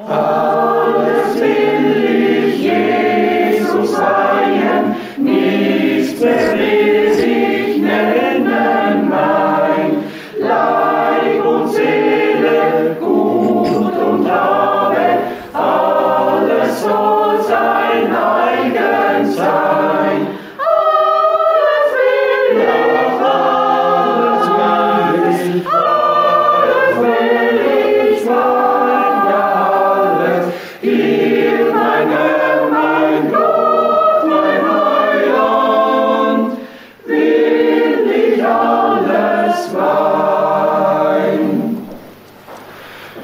Alles will ich Jesus weihen, nichts mehr will ich nennen mein. Leib und Seele, Gut und Habe, alles soll sein eigen sein. Alles will ich, alles will ich sein, ja alles. Hier mein Herr, mein Gott, mein Heiland, will ich alles mein.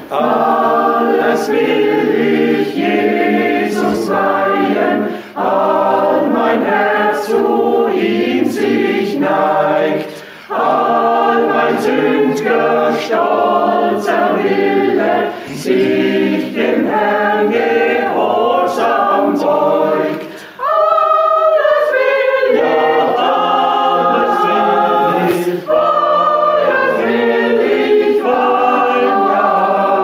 Alles will ich Jesus weihen, all mein Herz zu ihm sich neigt, all mein sünd'ger stolzer Wille sich dem Herrn gehorsam beugt. Alles will ich, alles will ich weihen, ja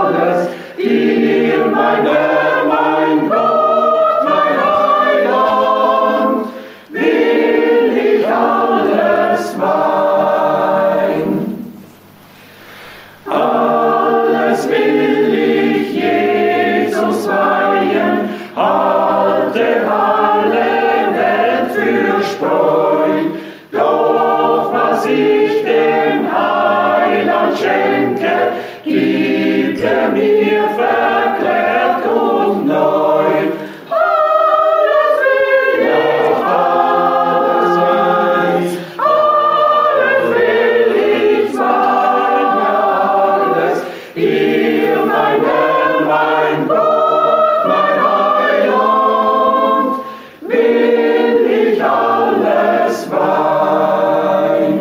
alles. Hier mein Herr, mein Gott, mein Heiland, will ich alles mein. Alles will ich Jesus weihen, halte alle Welt für Spreu. Doch was ich dem Heiland schenke, gibt mir verklärt und neu. Alles will ich, alles will ich sein, ja alles. Hier mein Herr, mein Gott, mein Heiland, will ich alles mein.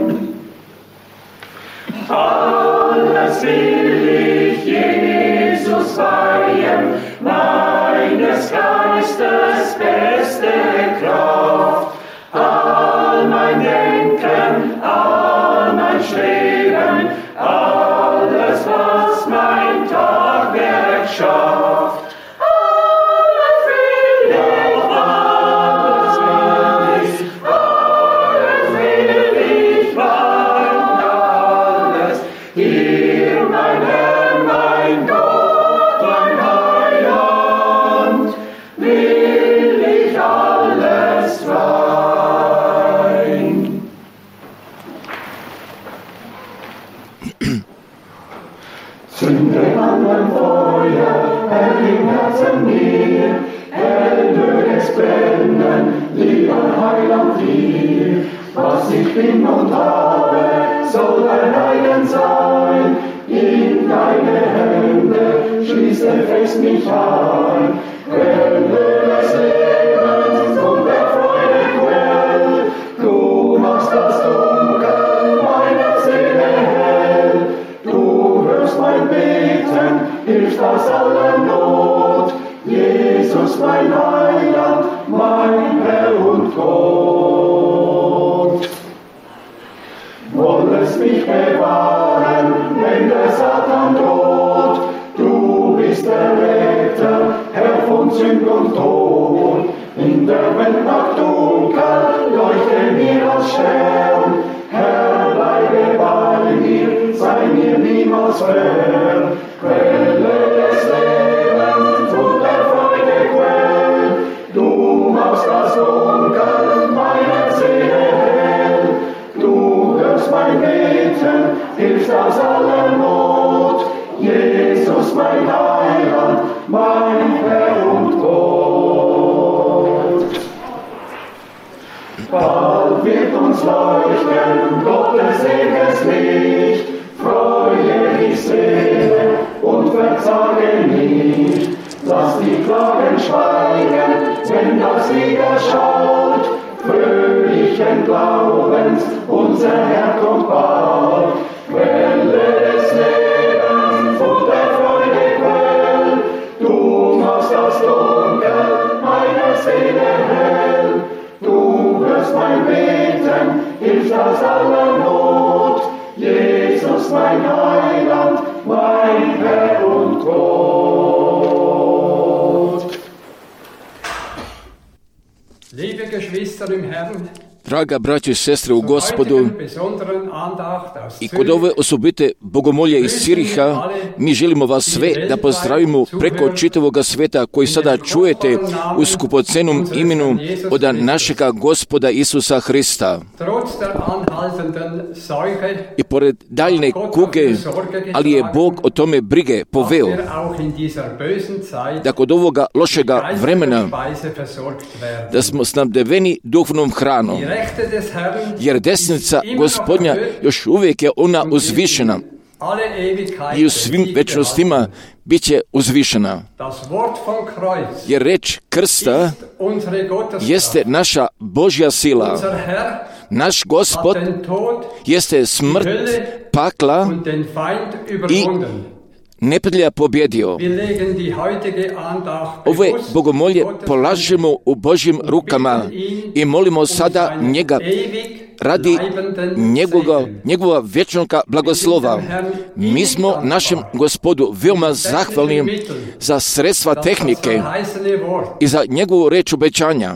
Alles will ich Jesus weihen, meines Geistes beste Kraft. All mein Denken, all mein Streben, alles was mein Tagwerk schafft. Alles will ich, alles will ich weihen, alles. Hier mein Herr, mein Gott, mein Heiland, will ich alles weihen. Zünde an mein Feuer, Herr, im Herzen mir, hell möge es brennen, lieber Heiland dir. Was ich bin und habe, soll dein eigen sein. In deine Hände schließt fest mich ein. Quelle des Lebens und der Freude Quell, du machst das Dunkel meiner Seele hell. Du hörst mein Beten, hilfst aus aller Not. Jesus, mein Heiland, mein Herr und Gott. Wollest mich bewahren, wenn der Satan droht. Du bist der Retter, Herr von Sünd und Tod. In der Welt nach Dunkel, leuchte mir als Stern. Herr, bleibe bei mir, sei mir niemals fern. Quelle des Lebens und der Freude Quell, du machst das Dunkel meiner Seele hell. Du hörst mein Beten, hilfst aus aller Not. Jesus, mein Heiland, mein Herr und Gott. Bald wird uns leuchten Gottes ewiges Licht. Freue die Seele und verzage nicht. Lass die Klagen schweigen, wenn das Lied erschaut. Fröhlichen Glaubens, unser Herr kommt bald. Quelle des Lebens und der Freude Quell, du machst das Dunkel meiner Seele hell. Du hörst mein Beten, hilfst aus aller Not. Jesus, mein Heiland, mein Herr und Gott. Draga braćo i sestre u Gospodu, i kod ove osobite bogomolje iz Ciriha, mi želimo vas sve da pozdravimo preko čitavoga sveta koji sada čujete u skupocenom imenu od našega Gospoda Isusa Hrista. I pored daljne kuge, ali je Bog o tome brige poveo, da kod ovoga lošega vremena, da smo snabdeveni duhovnom hranom, jer desnica Gospodnja još uvijek je ona uzvišena i u svim večnostima bit će uzvišena. Jer reč krsta jeste naša Božja sila. Naš Gospod jeste smrt, pakla i neprijatelja pobjedio. Ove bogomolje polažemo u Božjim rukama i molimo sada njega radi njegova vječnoga blagoslova. Mi smo našem Gospodu veoma zahvalni za sredstva tehnike i za njegovu reč obećanja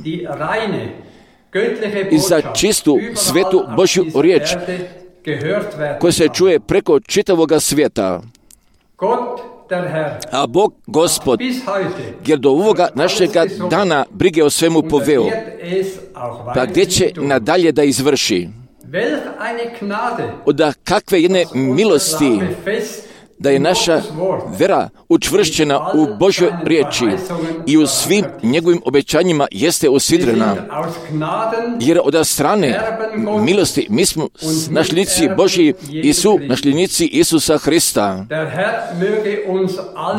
i za čistu, svetu Božju riječ koja se čuje preko čitavoga svijeta. A Bog Gospod, jer do ovoga našega dana brige o svemu poveo, pa gdje će nadalje da izvrši? Od kakve jedne milosti da je naša vera učvršćena u Božjoj riječi i u svim njegovim obećanjima jeste usidrena. Jer od strane milosti mi smo nasljednici Božji i su nasljednici Isusa Hrista.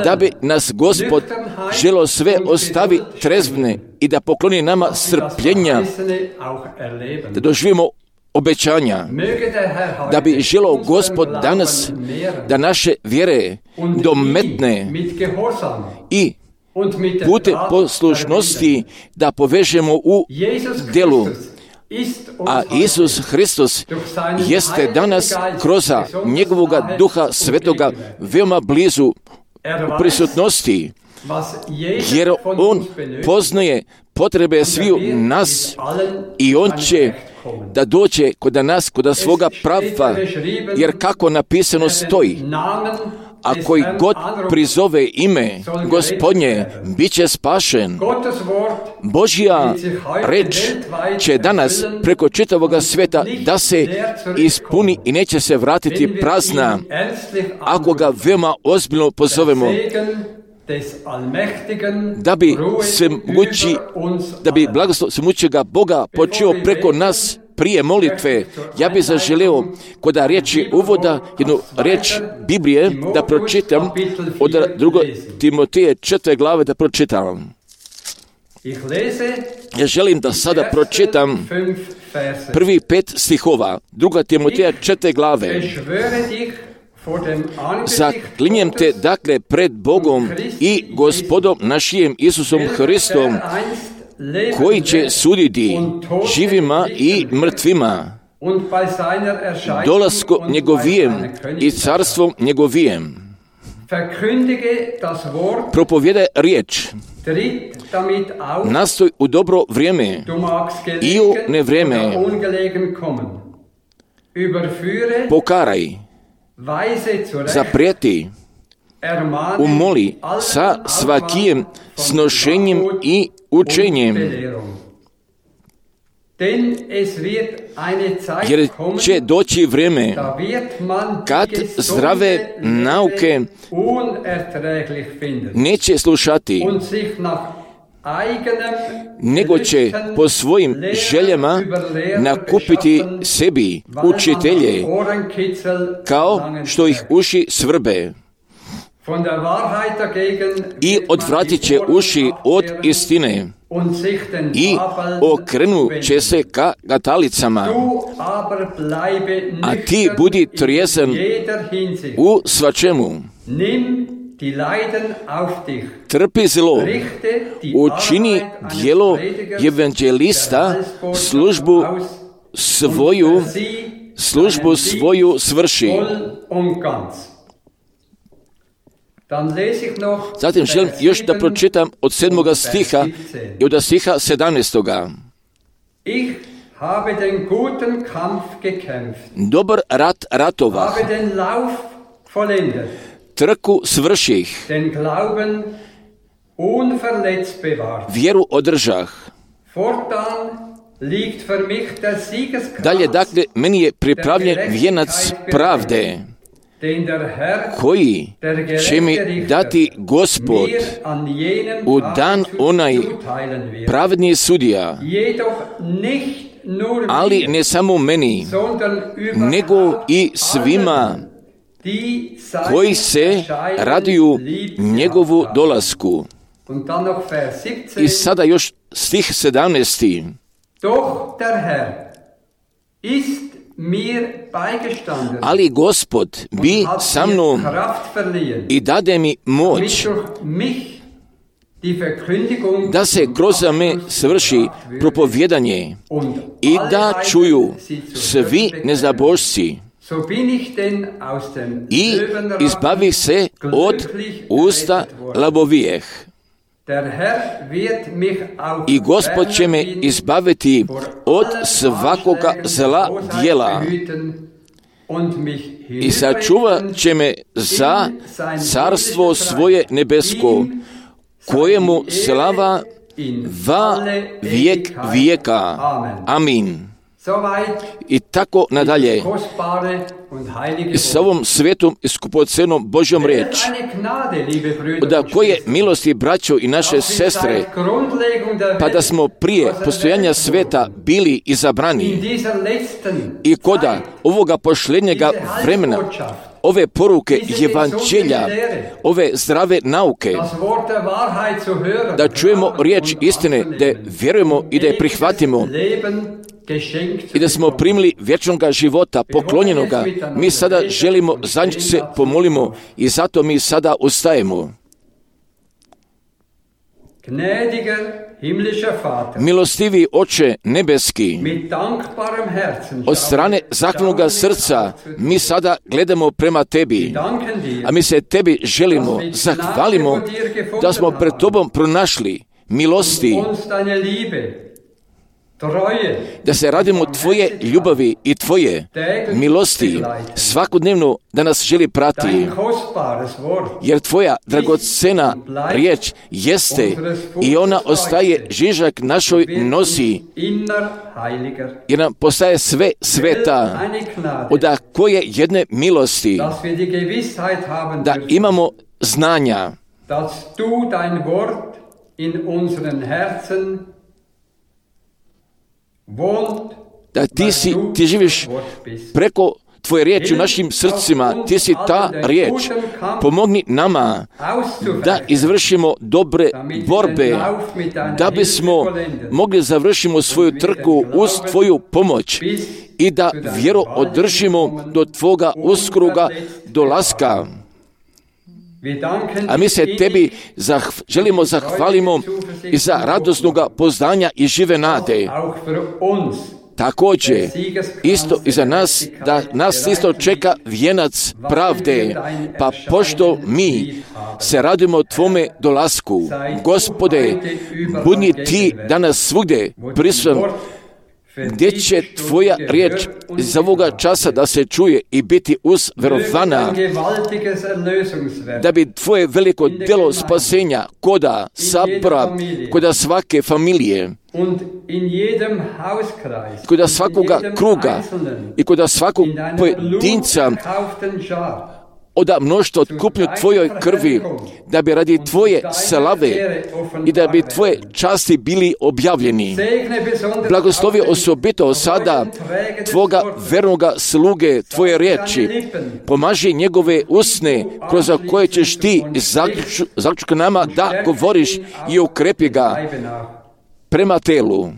Da bi nas Gospod želio sve ostavi trezvne i da pokloni nama strpljenja, da doživimo obećanja, da bi želio Gospod danas da naše vjere dometne i putem poslušnosti da povežemo u djelu. A Isus Hristos jeste danas kroz njegovoga Duha Svetoga veoma blizu u prisutnosti, jer on poznaje potrebe sviju nas i on će da dođe kod nas, kod svoga prava, jer kako napisano stoji, a koji god prizove ime Gospodnje, bit će spašen. Božja reč će danas preko čitavoga sveta da se ispuni i neće se vratiti prazna, ako ga veoma ozbiljno pozovemo, da bi blagoslov svemoćega Boga počeo preko nas prije molitve. Ja bih zaželeo kod riječi uvoda jednu riječ Biblije da pročitam od 2. Timoteje 4. glave da pročitam. Ja želim da sada pročitam prvi 5 stihova 2. Timoteja 4. glave. Zaklinjem te dakle pred Bogom i Gospodom našim Isusom Hristom, koji će suditi živima i mrtvima, dolaskom njegovijem i carstvom njegovijem. Propovjedaj riječ, nastoj u dobro vrijeme i u nevrijeme, pokaraj, zaprijeti, umoli sa svakijem snošenjem i učenjem, jer će doći vrijeme kad zdrave nauke neće slušati, nego će po svojim željama nakupiti sebi učitelje, kao što ih uši svrbe, i odvratit će uši od istine i okrenut će se ka gatalicama. A ti budi trijezan u svačemu. Trpi zlo, učini djelo evanđelista, službu svoju svrši. Zatim želim još da pročitam od 7. stiha i od stiha 17. Ich habe den guten Kampf gekämpft. Dobar rat ratovah. Habe den Lauf vollendet. Trku svrših. Den Glauben unverletzt bewahrt. Vjeru održah. Fortan liegt für mich der Siegeskranz. Dalje, dakle, meni je pripravljen vijenac pravde, koji će mi dati Gospod u dan onaj pravedni sudija, ali ne samo meni, nego i svima koji se raduju njegovu dolasku. I sada još stih 17. Doch der Herr ist mir beigestanden, ali Gospod bi sa mnom i dade mi moć da se kroz me svrši propovjedanje i da čuju svi neznabošci i izbavi se od usta lavovijeh. I Gospod će me izbaviti od svakoga zla djela i sačuvat će me za carstvo svoje nebesko, kojemu slava va vijek vijeka. Amin. I tako nadalje. I s ovom svetom i skupocenom Božjom riječ. Da koje milosti, braćo i naše sestre, pa da smo prije postojanja sveta bili izabrani i koda ovoga posljednjega vremena, ove poruke evanđelja, ove zdrave nauke, da čujemo riječ istine, da je vjerujemo i da je prihvatimo i da smo primili vječnoga života, poklonjenoga. Mi sada želimo, za njih se pomolimo i zato mi sada ustajemo. Milostivi Oče nebeski, od strane zahvalnoga srca mi sada gledamo prema Tebi, a mi se Tebi želimo, zahvalimo da smo pred Tobom pronašli milosti, da se radimo Tvoje ljubavi i Tvoje milosti svakodnevno da nas želi prati, jer Tvoja dragocena riječ jeste i ona ostaje žižak našoj nosi, jer nam postaje sve sveta, od koje jedne milosti, da imamo znanja, da ti živiš preko Tvoje riječi u našim srcima, Ti si ta riječ. Pomogni nama da izvršimo dobre borbe, da bismo mogli završimo svoju trku uz Tvoju pomoć i da vjeru održimo do Tvoga uskroga dolaska. A mi se Tebi želimo zahvalimo i za radosnoga poznanja i žive nade. Također, isto i za nas, da nas isto čeka vijenac pravde, pa pošto mi se radimo Tvome dolasku, Gospode, budi Ti danas svugdje prisutan, gdje će Tvoja riječ iz ovoga časa da se čuje i biti verovana, da bi Tvoje veliko djelo spasenja koda sabora, koda svake familije, koda svakoga kruga i koda svakog pojedinca oda mnoštvo otkupnju Tvojoj krvi, da bi radi Tvoje slave i da bi Tvoje časti bili objavljeni. Blagoslovi osobito sada Tvoga vernoga sluge, Tvoje riječi. Pomaži njegove usne, kroz koje ćeš Ti zaključka nama da govoriš i ukrepi ga prema telu.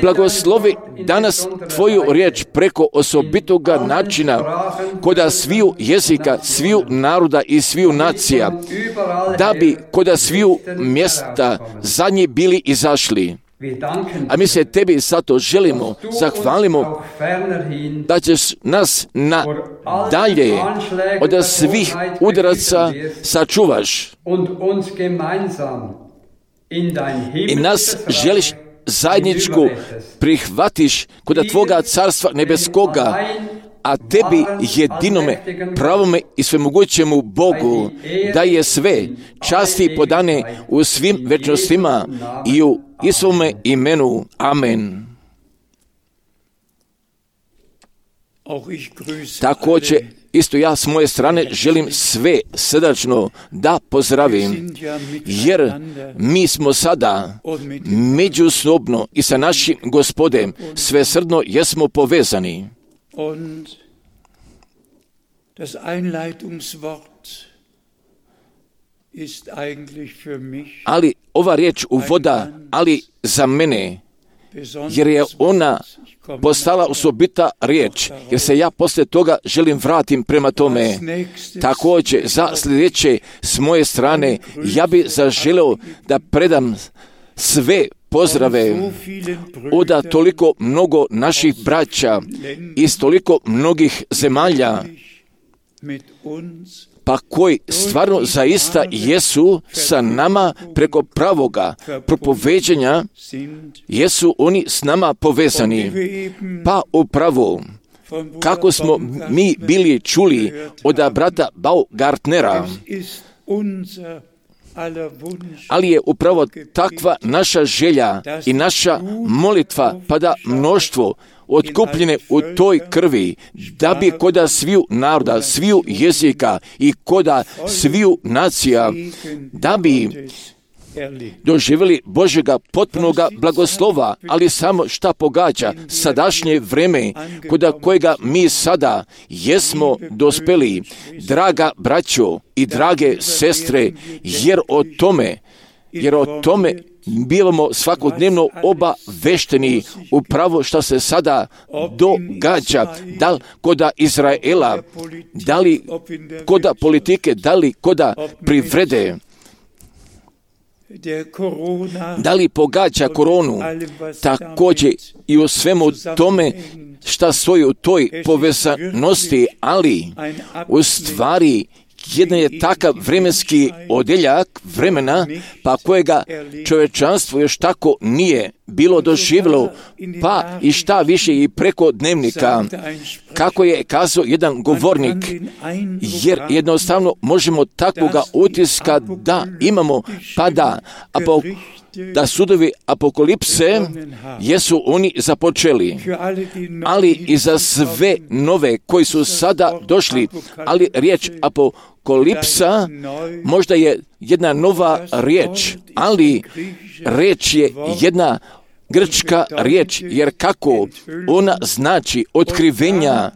Blagoslovi danas Tvoju riječ preko osobitoga načina koda sviju jezika, sviju naroda i sviju nacija, da bi koda sviju mjesta za nje bili izašli. A mi se Tebi zato želimo, zahvalimo da ćeš nas dalje od svih udaraca sačuvaš i nas želiš zajedničku prihvatiš kod Tvoga carstva nebeskoga, a Tebi jedinome, pravome i svemogućemu Bogu, da je sve časti podane u svim večnostima i u Isovome imenu. Amen. Također, isto ja s moje strane želim sve srdačno da pozdravim, jer mi smo sada međusobno i sa našim Gospodem svesrdno jesmo povezani. Das Einleitungswort ist eigentlich für mich, ali ova riječ uvoda, ali za mene, jer je ona postala osobita riječ, jer se ja poslije toga želim vratim prema tome. Također, za sljedeće s moje strane, ja bi zaželeo da predam sve pozdrave od toliko mnogo naših braća iz toliko mnogih zemalja, pa koji stvarno zaista jesu sa nama preko pravoga propoveđenja, jesu oni s nama povezani. Pa upravo, kako smo mi bili čuli od brata Baugartnera, ali je upravo takva naša želja i naša molitva, pa da mnoštvo otkupljene u toj krvi, da bi koda sviju naroda, sviju jezika i koda sviju nacija, da bi doživjeli Božjega potpunoga blagoslova, ali samo šta pogađa sadašnje vreme koda kojega mi sada jesmo dospeli, draga braćo i drage sestre, jer o tome bivamo svakodnevno obavešteni upravo što se sada događa, da li koda Izraela, da li koda politike, da li koda privrede, da li pogađa koronu, također i u svemu tome šta stoji u toj povezanosti, ali u stvari jedan je takav vremenski odjeljak vremena, pa kojega čovječanstvo još tako nije bilo doživjelo, pa i šta više i preko dnevnika, kako je kazao jedan govornik, jer jednostavno možemo takvoga utiska da imamo, pa da sudovi apokalipse jesu oni započeli, ali i za sve nove koji su sada došli, ali riječ apokalipsa možda je jedna nova riječ, ali riječ je jedna grčka riječ, jer kako ona znači otkrivenja,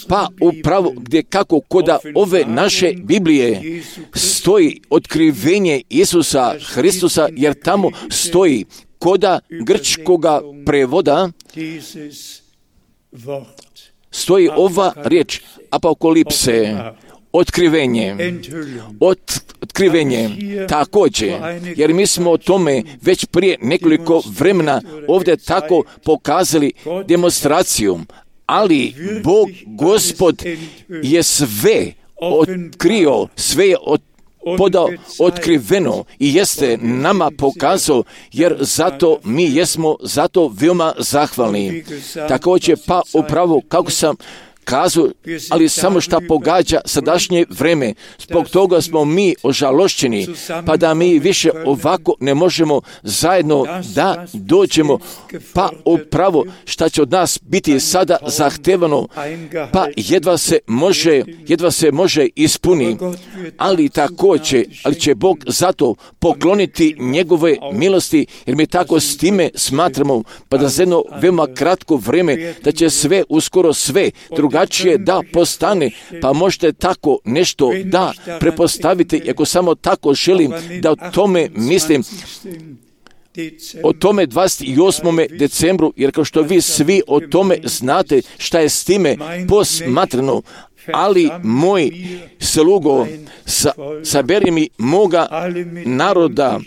pa upravo gdje kako koda ove naše Biblije stoji otkrivenje Isusa Hristusa, jer tamo stoji koda grčkoga prevoda stoji ova riječ apokalipse, otkrivenje također, jer mi smo o tome već prije nekoliko vremena ovdje tako pokazali demonstracijom, ali Bog Gospod je sve otkrio, sve je podao otkriveno i jeste nama pokazao, jer zato mi jesmo zato veoma zahvalni. Također pa upravo kako sam kazao, ali samo šta pogađa sadašnje vreme. Zbog toga smo mi ožalošćeni, pa da mi više ovako ne možemo zajedno da dođemo, pa upravo šta će od nas biti sada zahtevano, pa jedva se može ispuni, ali također, ali će Bog zato pokloniti njegove milosti, jer mi tako s time smatramo, pa da za jedno veoma kratko vreme, da će sve, uskoro sve, drugačije da postane, pa možete tako nešto da prepostavite, ako samo tako želim da o tome mislim, o tome 28. decembru, jer kao što vi svi o tome znate šta je s time posmatrano, ali moj slugo, saberi mi moga naroda,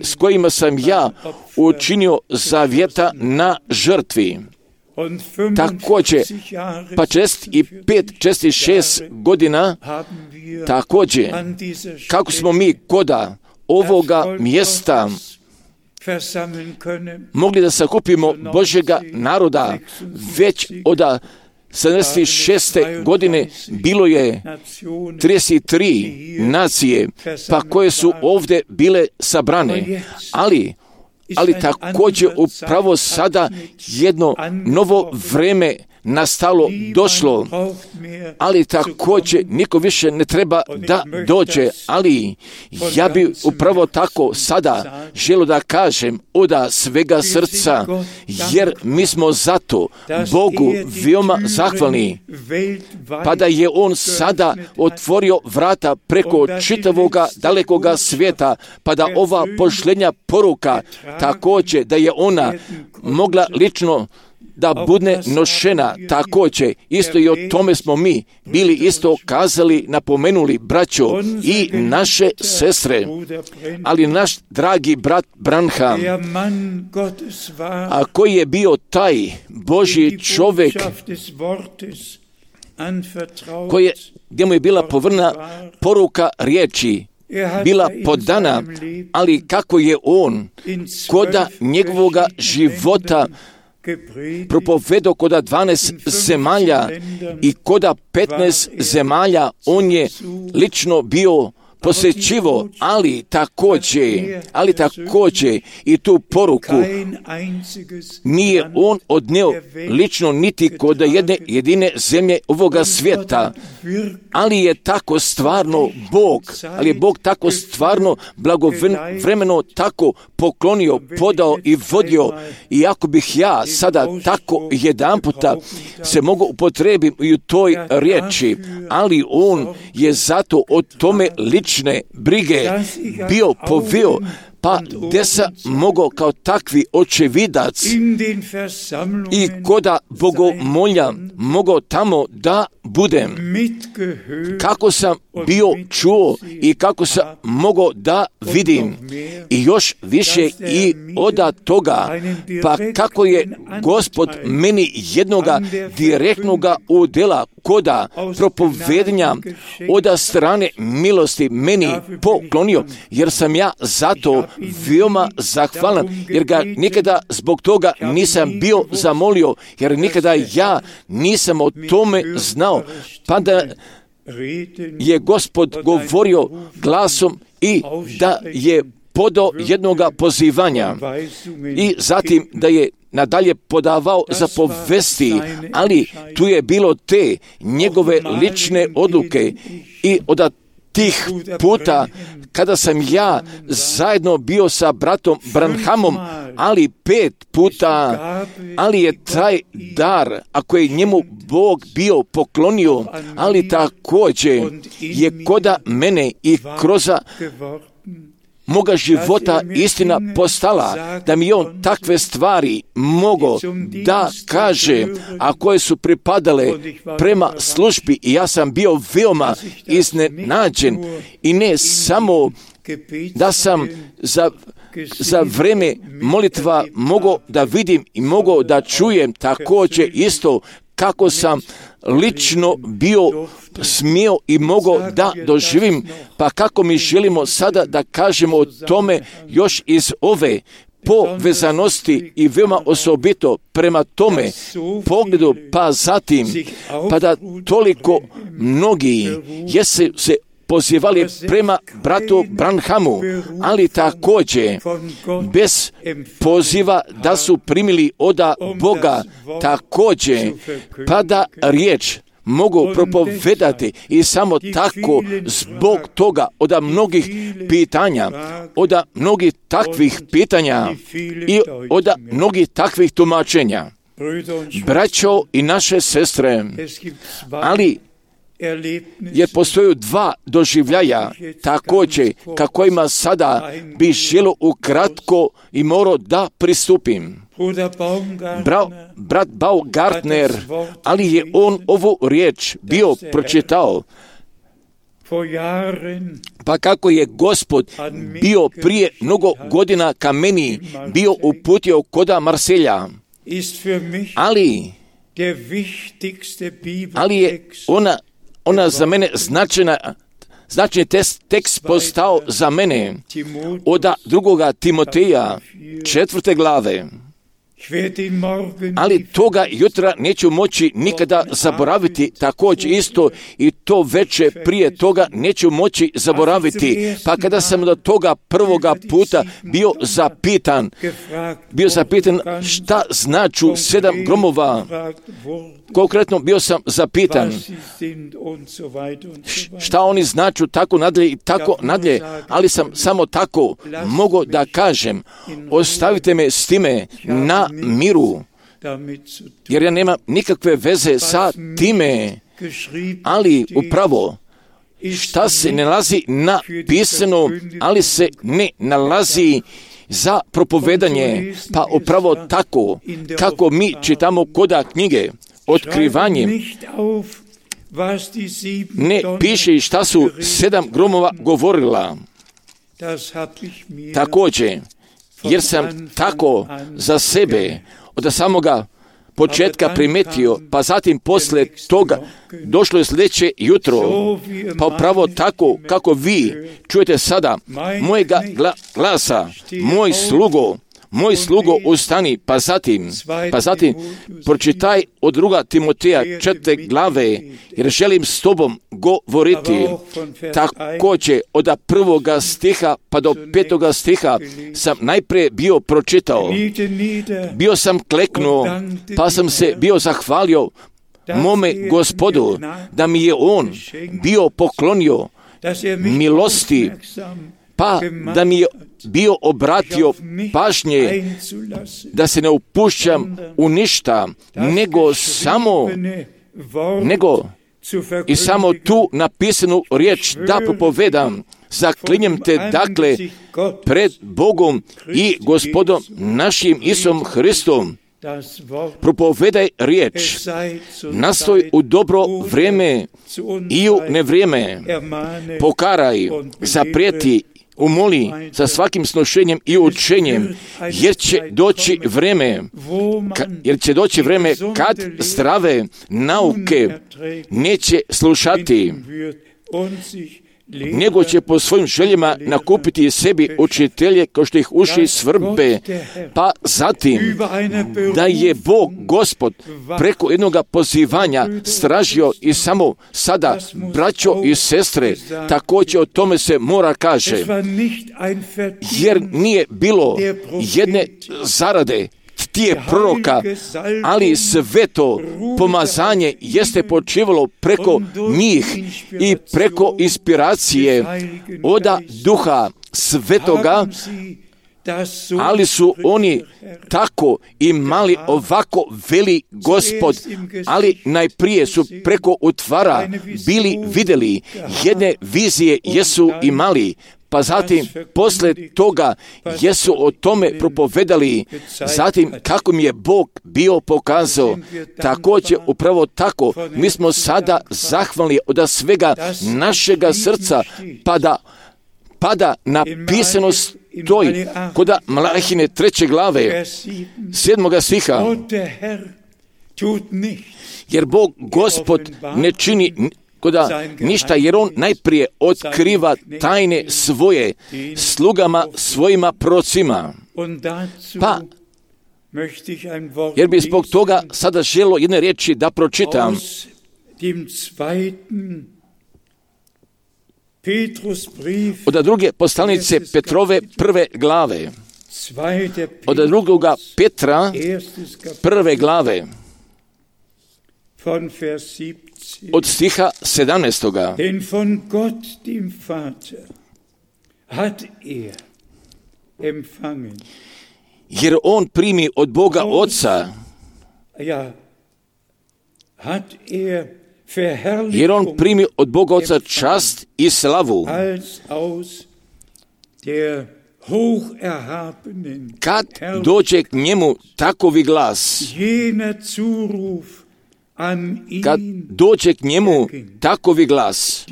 s kojima sam ja učinio zavjeta na žrtvi. Također, pa 46 godina, također, kako smo mi koda ovoga mjesta mogli da sakupimo Božjega naroda. Već od 76. godine bilo je 33 nacije, pa koje su ovdje bile sabrane. Ali također upravo sada jedno novo vreme nastalo, došlo, ali također niko više ne treba da dođe, ali ja bi upravo tako sada želio da kažem od svega srca, jer mi smo zato Bogu veoma zahvalni, pa da je On sada otvorio vrata preko čitavoga dalekoga svijeta, pa da ova pošljenja poruka također da je ona mogla lično da bude nošena također. Isto i o tome smo mi bili isto kazali, napomenuli, braćo i naše sestre. Ali naš dragi brat Branham, a koji je bio taj Božji čovjek, gdje mu je bila povrna poruka riječi, bila podana, ali kako je on koda njegovoga života propovedao koda 12 zemalja i koda 15 zemalja on je lično bio posjećivo, ali također i tu poruku nije on odneo lično niti kod jedne jedine zemlje ovoga svijeta, ali je tako stvarno Bog tako stvarno blagovremeno tako poklonio, podao i vodio. I ako bih ja sada tako jedan puta se mogu upotrebiti i u toj riječi, ali on je zato o tome lične brige bio poveo, pa gdje sam mogao kao takvi očevidac i koda bogomolja mogao tamo da budem. Kako sam bio čuo i kako sam mogao da vidim i još više i od toga, pa kako je Gospod meni jednoga direktnoga udjela koda propovedanja od strane milosti meni poklonio, jer sam ja zato veoma zahvalan, jer ga nikada zbog toga nisam bio zamolio, jer nikada ja nisam o tome znao, pa da je Gospod govorio glasom i da je podao jednoga pozivanja i zatim da je nadalje podavao zapovesti, ali tu je bilo te njegove lične odluke i od tih puta kada sam ja zajedno bio sa bratom Branhamom, ali 5 puta, ali je taj dar, ako je njemu Bog bio poklonio, ali također je koda mene i kroz moga života istina postala, da mi on takve stvari mogo da kaže, a koje su pripadale prema službi, i ja sam bio veoma iznenađen i ne samo da sam za vreme molitva mogao da vidim i mogao da čujem također isto kako sam lično bio smio i mogao da doživim, pa kako mi želimo sada da kažemo o tome još iz ove povezanosti i veoma osobito prema tome pogledu, pa zatim, pa da toliko mnogi jesu se pozivali prema bratu Branhamu, ali također bez poziva da su primili od Boga također, pa da riječ mogu propovedati i samo tako zbog toga od mnogih pitanja, od mnogih takvih pitanja i od mnogih takvih tumačenja. Braćo i naše sestre, ali jer postoju 2 doživljaja također kako ima sada bi želo ukratko i morao da pristupim. Brat Baumgartner, ali je on ovu riječ bio pročitao, pa kako je Gospod bio prije mnogo godina ka meni bio uputio koda Marselja, ali je ona za mene značajna Značajni tekst postao za mene od 2. Timoteja 4. glave. Ali toga jutra neću moći nikada zaboraviti, također isto i to veče prije toga neću moći zaboraviti. Pa kada sam do toga prvoga puta bio zapitan šta značu 7 gromova, konkretno bio sam zapitan šta oni značu tako nadalje i tako nadalje, ali sam samo tako mogao da kažem, ostavite me s time na miru, jer ja nemam nikakve veze sa time, ali upravo šta se nalazi napisano, ali se ne nalazi za propovedanje, pa upravo tako kako mi čitamo koda knjige Otkrivanje, ne piše šta su 7 gromova govorila. Također, jer sam tako za sebe od samoga početka primetio, pa zatim poslije toga došlo je sljedeće jutro, pa upravo tako kako vi čujete sada mojega glasa, moj slugo ustani, pa zatim pročitaj od 2. Timoteja 4. glave, jer želim s tobom govoriti. Također od 1. stiha pa do 5. stiha sam najprije bio pročitao. Bio sam kleknuo, pa sam se bio zahvalio mome Gospodu, da mi je on bio poklonio milosti, pa da mi je bio obratio pažnje da se ne upušćam u ništa, nego i samo tu napisanu riječ da propovedam. Zaklinjem te dakle pred Bogom i Gospodom našim Isusom Hristom, propovedaj riječ, nastoj u dobro vrijeme i u nevrijeme, pokaraj, zaprijeti, umoli sa svakim snošenjem i učenjem, jer će doći vrijeme kad zdrave nauke neće slušati, nego će po svojim željama nakupiti sebi učitelje kao što ih uši svrbe, pa zatim da je Bog Gospod preko jednoga pozivanja stražio i samo sada, braćo i sestre, također o tome se mora kaže, jer nije bilo jedne zarade tije proroka, ali sveto pomazanje jeste počivalo preko njih i preko inspiracije od Duha Svetoga, ali su oni tako imali ovako veli Gospod, ali najprije su preko utvara bili vidjeli, jedne vizije jesu imali, pa zatim poslije toga jesu o tome propovedali, zatim kako mi je Bog bio pokazao. Također upravo tako mi smo sada zahvalni od svega našega srca, pada napisano stoji kod Malahine 3. glave 7. stiha, jer Bog Gospod ne čini ništa, jer on najprije otkriva tajne svoje slugama svojima procima. Pa, jer bi zbog toga sada želio jedne riječi da pročitam. Od 2. poslanice Petrove 1. glave. Od 2. Petra 1. glave. Od stiha 17. Denn von Gott dem Vater hat empfangen. Jer on primi od Boga Oca. Jer on primi od Boga Oca čast i slavu. Kad dođe k njemu takovi glas, kad dođe k njemu takovi glas,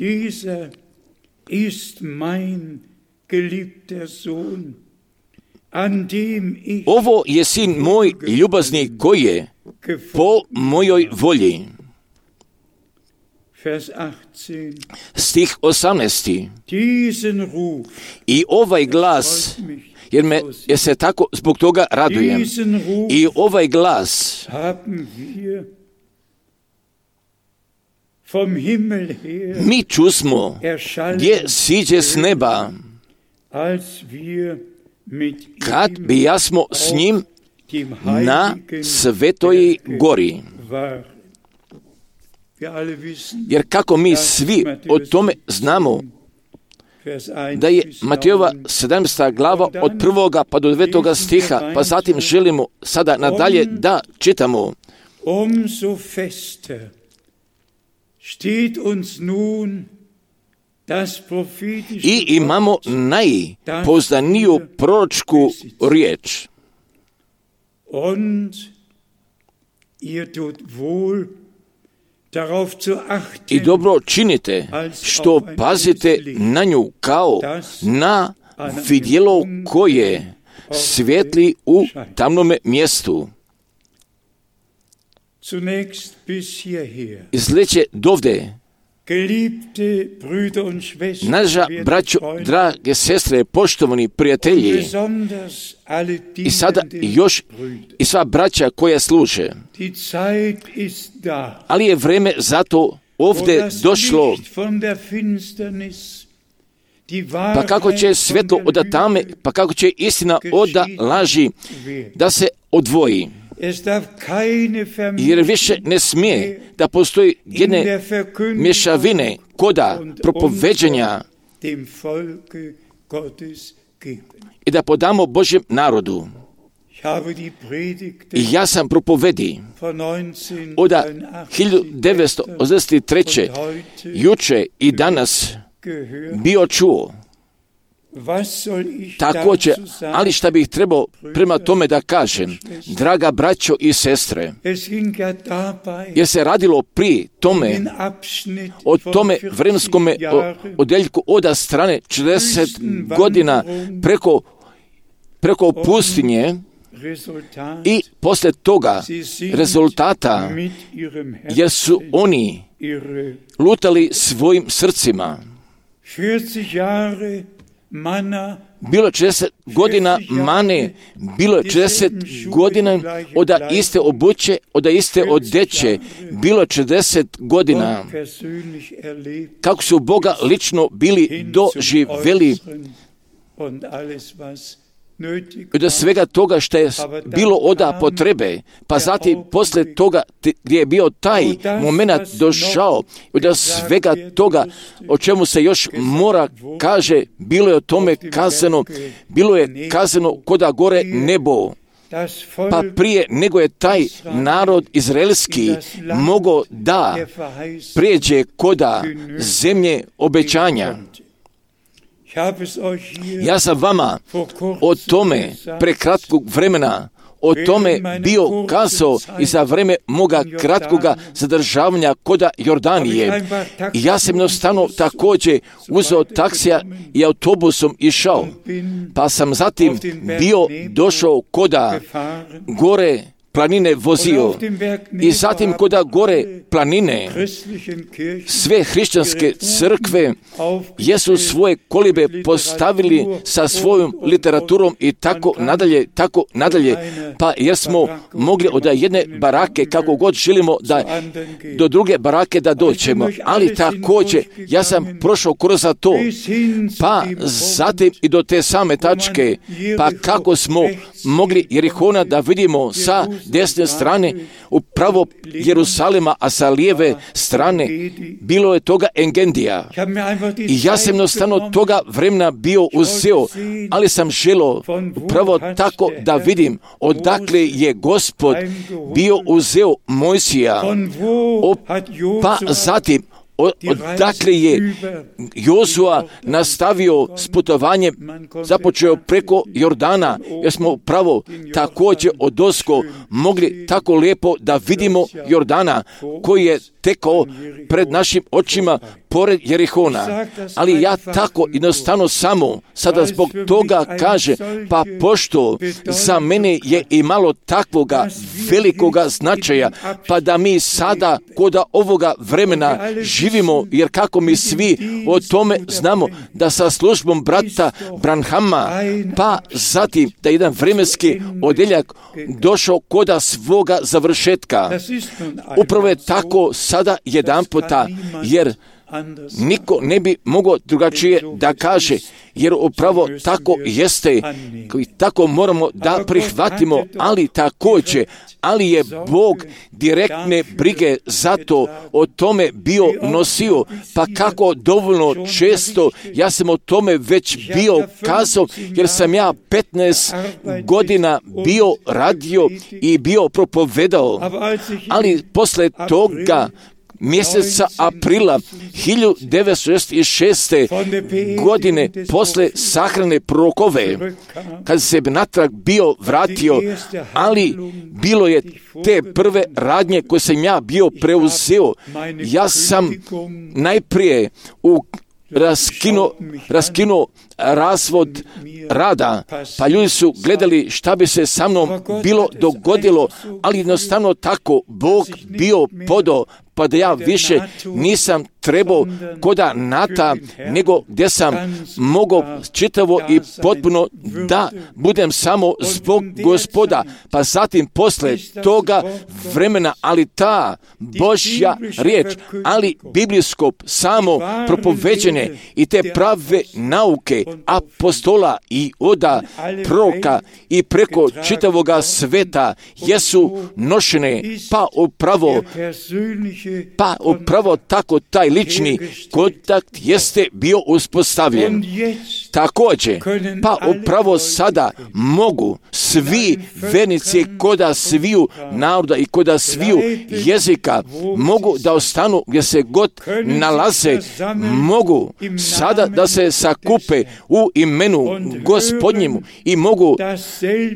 ovo je sin moj ljubazni koji je po mojoj volji. Stih 18. I ovaj glas, jer se tako zbog toga radujem, i ovaj glas mi čusmo gdje siđe s neba, kad bi jasmo s njim na svetoj gori. Jer kako mi svi o tome znamo, da je Matejova 17. glava od 1. pa do 9. stiha, pa zatim želimo sada nadalje da čitamo. Umso fester steht uns nun das prophetische I imamo najpoznaniju proročku riječ. Und ihr tut wohl darauf zu achten, I dobro činite što pazite na nju kao na vidjelo koje svijetli u tamnome mjestu. Zunächst bis hierher. Izleće dovde. Geliebte Brüder und Schwestern, Naša braćo, drage sestre, poštovani prijatelji, i sada još i sva braća koja služe. Ali je vreme zato ovdje došlo, pa kako će svjetlo od tame, pa kako će istina od laži da se odvoji. Jer više ne smije da postoji jedne mješavine koda propoveđenja i da podamo Božjem narodu. I ja sam propovedi od 1983. juče i danas bio čuo. Također, ali šta bih trebao prema tome da kažem, draga braćo i sestre, jer se radilo pri tome, o tome vremenskome odeljku od strane 40 godina preko pustinje i poslije toga rezultata, jer su oni lutali svojim srcima. Bilo 40 godina mane, bilo 40 godina od iste obuće, od iste odeće, bilo 40 godina kako su Boga lično bili doživjeli od svega toga što je bilo od potrebe, pa zatim poslije toga gdje je bio taj moment došao, od svega toga o čemu se još mora kaže, bilo je o tome kazano, bilo je kazano koda gore nebo. Pa prije nego je taj narod izraelski mogao da prijeđe koda zemlje obećanja. Ja sam vama o tome prekratkog vremena o tome bio kazao i za vreme moga kratkoga zadržavanja koda Jordanije. I ja sam jednostavno također uzeo taksija i autobusom išao, pa sam zatim bio došao koda gore planine vozio i zatim koda gore planine sve hrišćanske crkve jesu svoje kolibe postavili sa svojom literaturom i tako nadalje, pa jer smo mogli od jedne barake kako god želimo da do druge barake da dođemo, ali također ja sam prošao kroz to, pa zatim i do te same tačke, pa kako smo mogli Jerihona da vidimo sa desne strane upravo Jerusalema, a sa lijeve strane bilo je toga Engendija. I ja sam jednostavno toga vremena bio uzeo, ali sam želio upravo tako da vidim odakle je Gospod bio uzeo Mojsija, pa zatim odakle je Jozua nastavio s putovanjem, započeo preko Jordana, jer smo pravo također odosko mogli tako lijepo da vidimo Jordana koji je tekao pred našim očima pored Jerihona. Ali ja tako jednostavno samo sada zbog toga kaže, pa pošto za mene je i malo takvoga velikoga značaja, pa da mi sada kod ovoga vremena živimo, jer kako mi svi o tome znamo, da sa službom brata Branhama, pa zatim da jedan vremenski odjeljak došao koda svoga završetka. Upravo je tako sada jedan puta, jer niko ne bi mogao drugačije da kaže, jer upravo tako jeste i tako moramo da prihvatimo, ali je Bog direktne brige zato o tome bio nosio, pa kako dovoljno često ja sam o tome već bio kazao, jer sam ja 15 godina bio radio i bio propovedao, ali posle toga mjeseca aprila 1966. godine posle sahrane prorokove, kad se natrag bio vratio, ali bilo je te prve radnje koje sam ja bio preuzeo. Ja sam najprije raskinuo razvod rada, pa ljudi su gledali šta bi se sa mnom bilo dogodilo, ali jednostavno tako Bog bio podao, pa da ja više nisam trebao koda Nata, nego gdje sam mogao čitavo i potpuno da budem samo zbog Gospoda. Pa zatim posle toga vremena, ali ta Božja riječ, ali biblijsko samo propoveđene i te prave nauke apostola i oda proroka i preko čitavoga sveta jesu nošene, pa upravo tako taj lični kontakt jeste bio uspostavljen. Također, pa upravo sada mogu svi vernici koda sviju naroda i koda sviju jezika mogu da ostanu gdje se god nalaze, mogu sada da se sakupe u imenu Gospodnjemu i mogu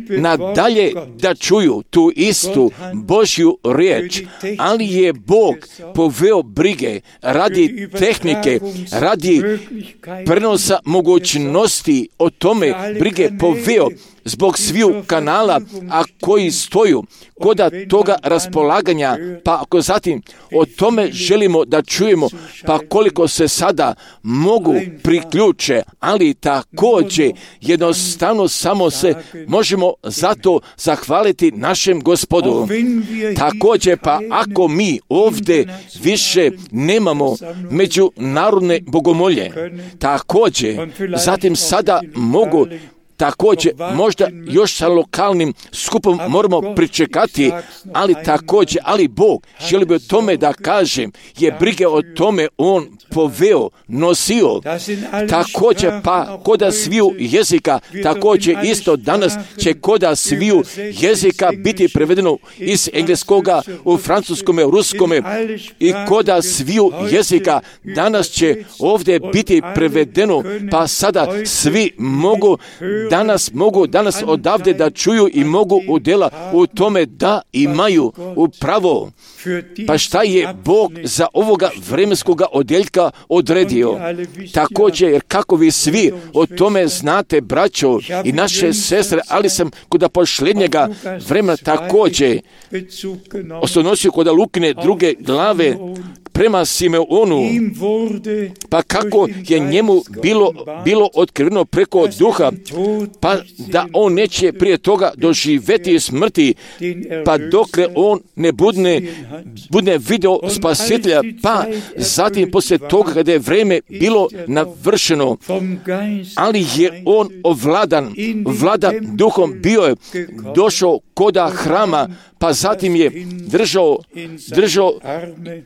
nadalje da čuju tu istu Božju riječ, ali je Bog poveo brige radi tehnike, radi prenosa mogućnosti o tome brige poveo zbog sviju kanala, a koji stoju koda toga raspolaganja, pa ako zatim o tome želimo da čujemo, pa koliko se sada mogu priključe, ali također jednostavno samo se možemo zato zahvaliti našem Gospodu. Također, pa ako mi ovdje više nemamo međunarodne bogomolje, također zatim sada mogu također, možda još sa lokalnim skupom moramo pričekati, ali Bog želi bi o tome da kažem, je brige o tome On poveo, nosio. Također, pa koda sviju jezika, također isto danas će koda sviju jezika biti prevedeno iz engleskoga u francuskome, u ruskome i koda sviju jezika danas će ovdje biti prevedeno, pa sada svi mogu danas odavde da čuju i mogu udjela u tome da imaju upravo. Pa šta je Bog za ovoga vremenskoga odjeljka odredio? Također, jer kako vi svi o tome znate, braćo i naše sestre, ali sam kod posljednjega vremena također osnovnosio kod Lukine druge glave prema Simeonu, pa kako je njemu bilo otkriveno preko duha, pa da on neće prije toga doživjeti smrti, pa dokle on ne bude video spasitelja, pa zatim poslije toga kada je vrijeme bilo navršeno, ali je on vlada duhom, bio je došao koda hrama, pa zatim je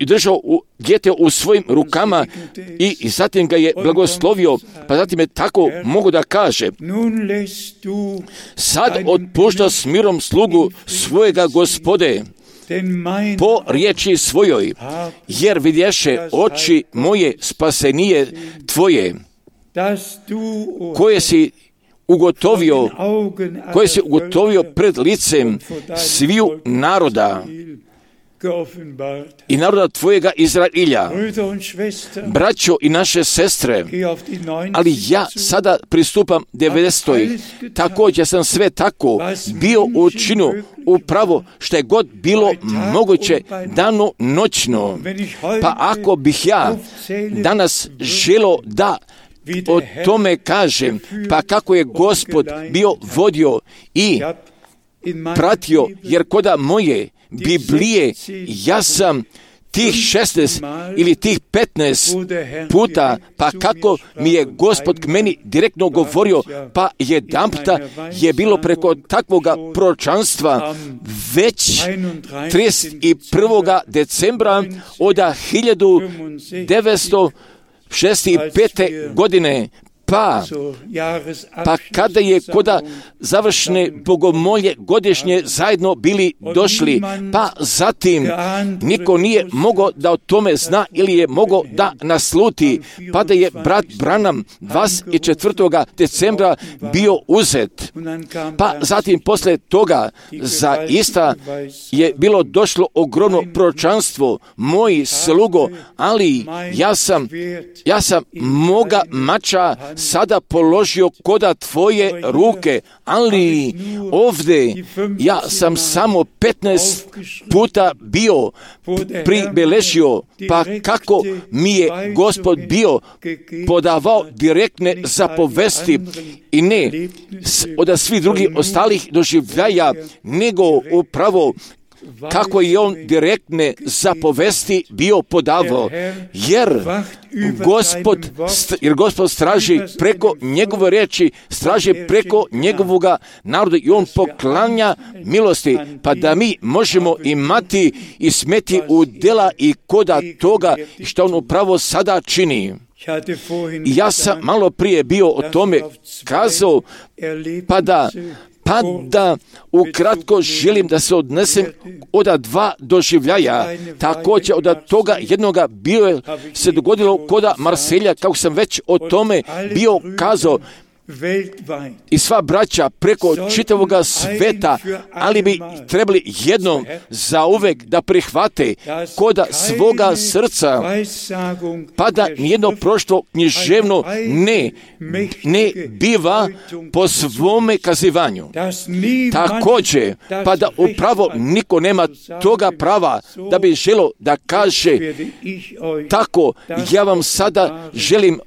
držao dijete u svojim rukama i zatim ga je blagoslovio, pa zatim je tako mogu da kaže: sad otpušta s mirom slugu svojega Gospode po riječi svojoj, jer vidješe oči moje spasenije tvoje, koje si ugotovio pred licem sviju naroda, i naroda tvojega Izrailja. Braćo i naše sestre, ali ja sada pristupam 90. Također sam sve tako bio učinio upravo što je god bilo moguće dano noćno. Pa ako bih ja danas želio da o tome kažem, pa kako je Gospod bio vodio i pratio, jer koda moje Biblije ja sam tih 16 ili tih 15 puta, pa kako mi je Gospod k meni direktno govorio, pa jedanputa je bilo preko takvoga proročanstva već 31. decembra od 1965. godine, pa kada je koda završne bogomolje godišnje zajedno bili došli, pa zatim niko nije mogao da o tome zna ili je mogao da nasluti, pa da je brat Branham 24. decembra bio uzet. Pa zatim posle toga zaista je bilo došlo ogromno proročanstvo, moji slugo, ali ja sam moga mača sada položio koda tvoje ruke, ali ovdje ja sam samo 15 puta bio pribeležio, pa kako mi je Gospod bio podavao direktne zapovesti i ne od svih drugih ostalih doživljaja, nego upravo kako je on direktne zapovesti bio podavao, jer Gospod straži preko njegove riječi, straži preko njegovoga naroda i on poklanja milosti, pa da mi možemo imati i smeti u dela i koda toga što on upravo sada čini. Ja sam malo prije bio o tome kazao, pa da ukratko želim da se odnesem od dva doživljaja. Također od toga jednoga se dogodilo koda Marselja, kako sam već o tome bio kazao, i sva braća preko čitavoga sveta, ali bi trebali jednom zauvek da prihvate koda svoga srca, pa da nijedno proštvo književno ne biva po svome kazivanju. Također, pa da upravo niko nema toga prava da bi želio da kaže tako, ja vam sada želim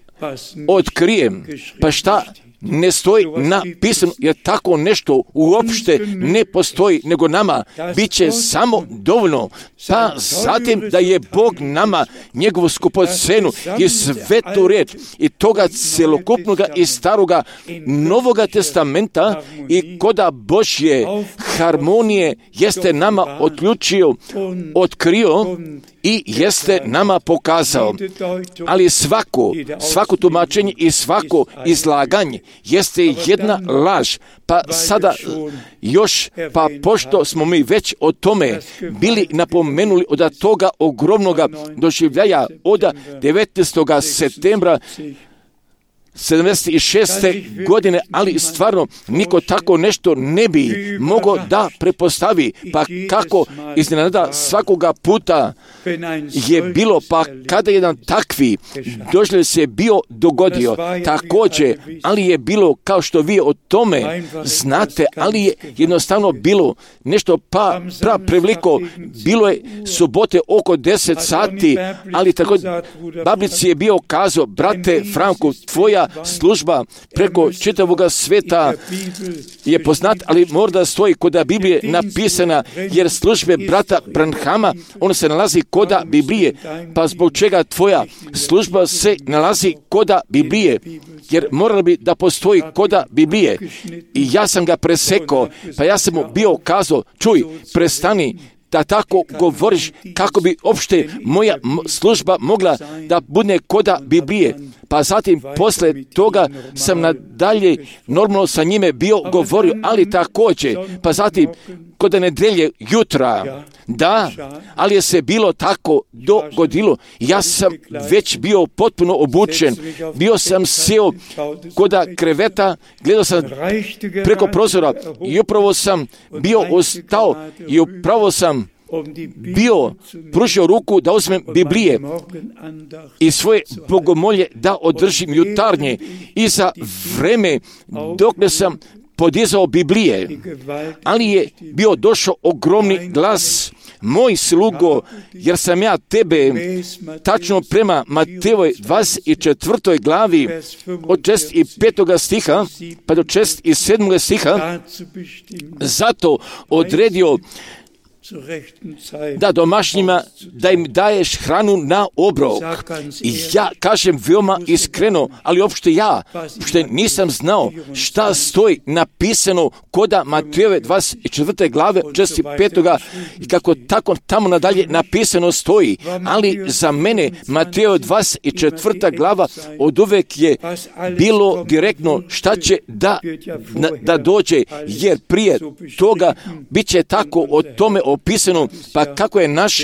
otkrijem, pa šta ne stoji napisano, jer tako nešto uopšte ne postoji, nego nama bit će samo dovoljno. Pa zatim da je Bog nama njegovu skupocenu i svetu riječ i toga celokupnoga i staroga Novoga testamenta i koda Božje harmonije jeste nama otkrio i jeste nama pokazao. Ali svako tumačenje i svako izlaganje jeste jedna laž. Pa sada još, pa pošto smo mi već o tome bili napomenuli od toga ogromnoga doživljaja od 19. septembra 76. godine, ali stvarno niko tako nešto ne bi mogao da prepostavi, pa kako iznenada svakoga puta je bilo, pa kada jedan takvi doživljaj se bio dogodio, također, ali je bilo kao što vi o tome znate, ali je jednostavno bilo nešto preveliko, bilo je subote oko 10 sati, ali tako Bablici je bio kazao, brate Franku, tvoja služba preko čitavoga sveta je poznat, ali mora stoji koda Biblije napisana, jer službe brata Branhama, on se nalazi koda Biblije, pa zbog čega tvoja služba se nalazi koda Biblije, jer moralo bi da postoji koda Biblije. I ja sam ga presekao, pa ja sam mu bio kazao, čuj, prestani da tako govoriš, kako bi opšte moja služba mogla da bude koda Biblije. Pa zatim posle toga sam nadalje normalno sa njime bio govorio, ali također, pa zatim kod nedelje jutra, da, ali je se bilo tako dogodilo. Ja sam već bio potpuno obučen, bio sam sjeo koda kreveta, gledao sam preko prozora i upravo sam bio ostao i upravo sam bio pružio ruku da uzmem Biblije i svoje bogomolje da održim jutarnje i za vreme dok ne sam podizao Biblije, ali je bio došao ogromni glas: moj slugo, jer sam ja tebe, tačno prema Matejovoj 24. glavi od 65. stiha pa do 67. stiha, zato odredio da domaćnjima, da im daješ hranu na obrok. I ja kažem veoma iskreno, ali uopšte ja, što nisam znao šta stoji napisano koda Matejove 24. glave 65. i kako tako tamo nadalje napisano stoji. Ali za mene Matejova 24. glava od uvek je bilo direktno šta će da dođe, jer prije toga bit će tako o tome opisano, pa kako je naš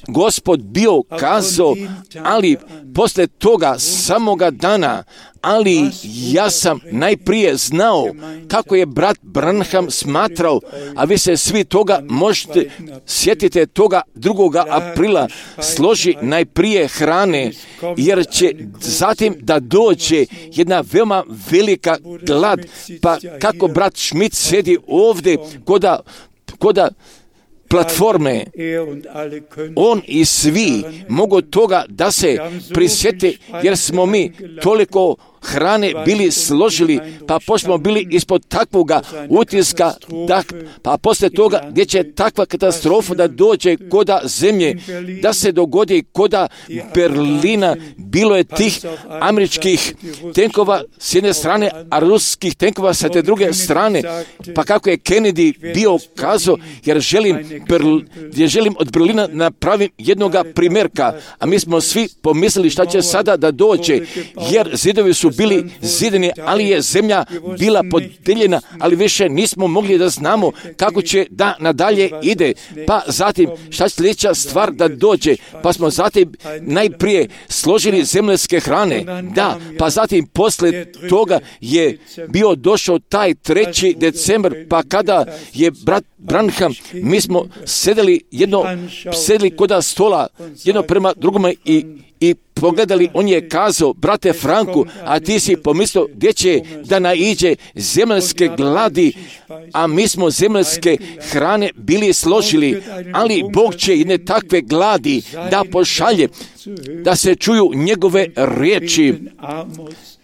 Gospod bio kazao, ali posle toga samoga dana, ali ja sam najprije znao kako je brat Branham smatrao, a vi se svi toga možete sjetite toga 2. aprila, složi najprije hrane, jer će zatim da dođe jedna veoma velika glad, pa kako brat Schmidt sedi ovdje koda platforme, on i svi mogu toga da se prisjete, jer smo mi toliko hrane bili složili, pa pošto smo bili ispod takvoga utiska, pa posle toga gdje će takva katastrofa da dođe koda zemlje, da se dogodi koda Berlina, bilo je tih američkih tenkova s jedne strane, a ruskih tenkova sa te druge strane, pa kako je Kennedy bio kazao, jer želim od Berlina napravim jednoga primjerka, a mi smo svi pomislili šta će sada da dođe, jer zidovi su bili zideni, ali je zemlja bila podeljena, ali više nismo mogli da znamo kako će da nadalje ide. Pa zatim šta će sljedeća stvar da dođe, pa smo zatim najprije složili zemljanske hrane, da, pa zatim posle toga je bio došao taj 3. decembar, pa kada je brat Branham, mi smo sedeli koda stola, jedno prema drugome i pogledali, on je kazao, brate Franku, a ti si pomislio gdje će da naiđe zemljanske gladi, a mi smo zemljanske hrane bili složili, ali Bog će jedne takve gladi da pošalje, da se čuju njegove riječi,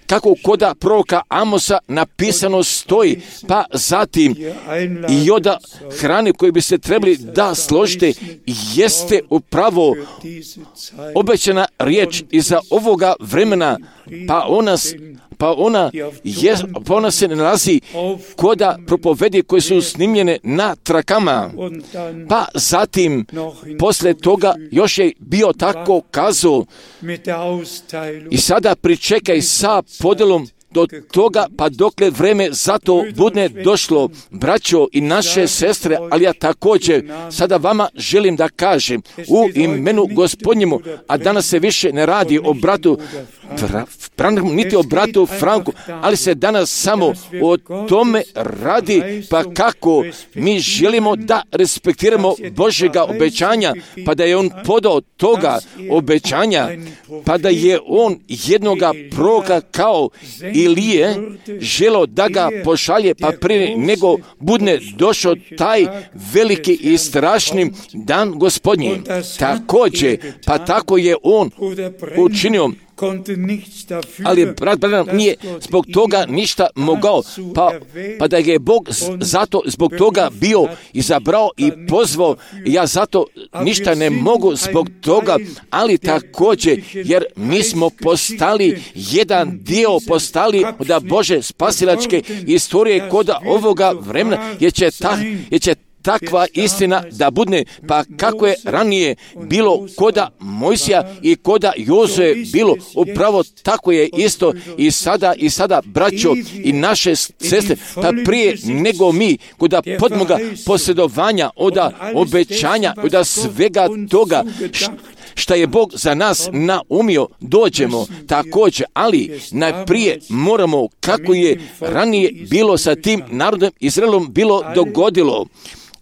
kako koda proroka Amosa napisano stoji, pa zatim i od hrane koje bi se trebali da složite jeste upravo obećana riječ iza ovoga vremena, pa ona se nalazi koda propovedi koje su snimljene na trakama. Pa zatim, posle toga još je bio tako kazao i sada pričekaj sa podelom do toga, pa dokle vreme za to bude došlo, braćo i naše sestre, ali ja također sada vama želim da kažem u imenu Gospodnjemu, a danas se više ne radi o bratu Branhamu, niti o bratu Franku, ali se danas samo o tome radi, pa kako mi želimo da respektiramo Božjega obećanja, pa da je on podao toga obećanja, pa da je on jednoga proroka kao Ilije želeo da ga pošalje, pa prije nego bude došao taj veliki i strašni dan Gospodnji. Također, pa tako je on učinio, ali brat Branham nije zbog toga ništa mogao, pa da je Bog zato zbog toga bio izabrao i pozvao, ja zato ništa ne mogu zbog toga, ali također jer mi smo postali jedan dio, postali od Bože spasilačke istorije kod ovoga vremena, jer će takva istina da bude, pa kako je ranije bilo koda Mojsija i koda Jozue bilo, upravo tako je isto i sada braćo i naše sestre, pa prije nego mi koda podmoga posjedovanja, od obećanja, od svega toga šta je Bog za nas naumio, dođemo također, ali najprije moramo, kako je ranije bilo sa tim narodom Izraelom bilo dogodilo,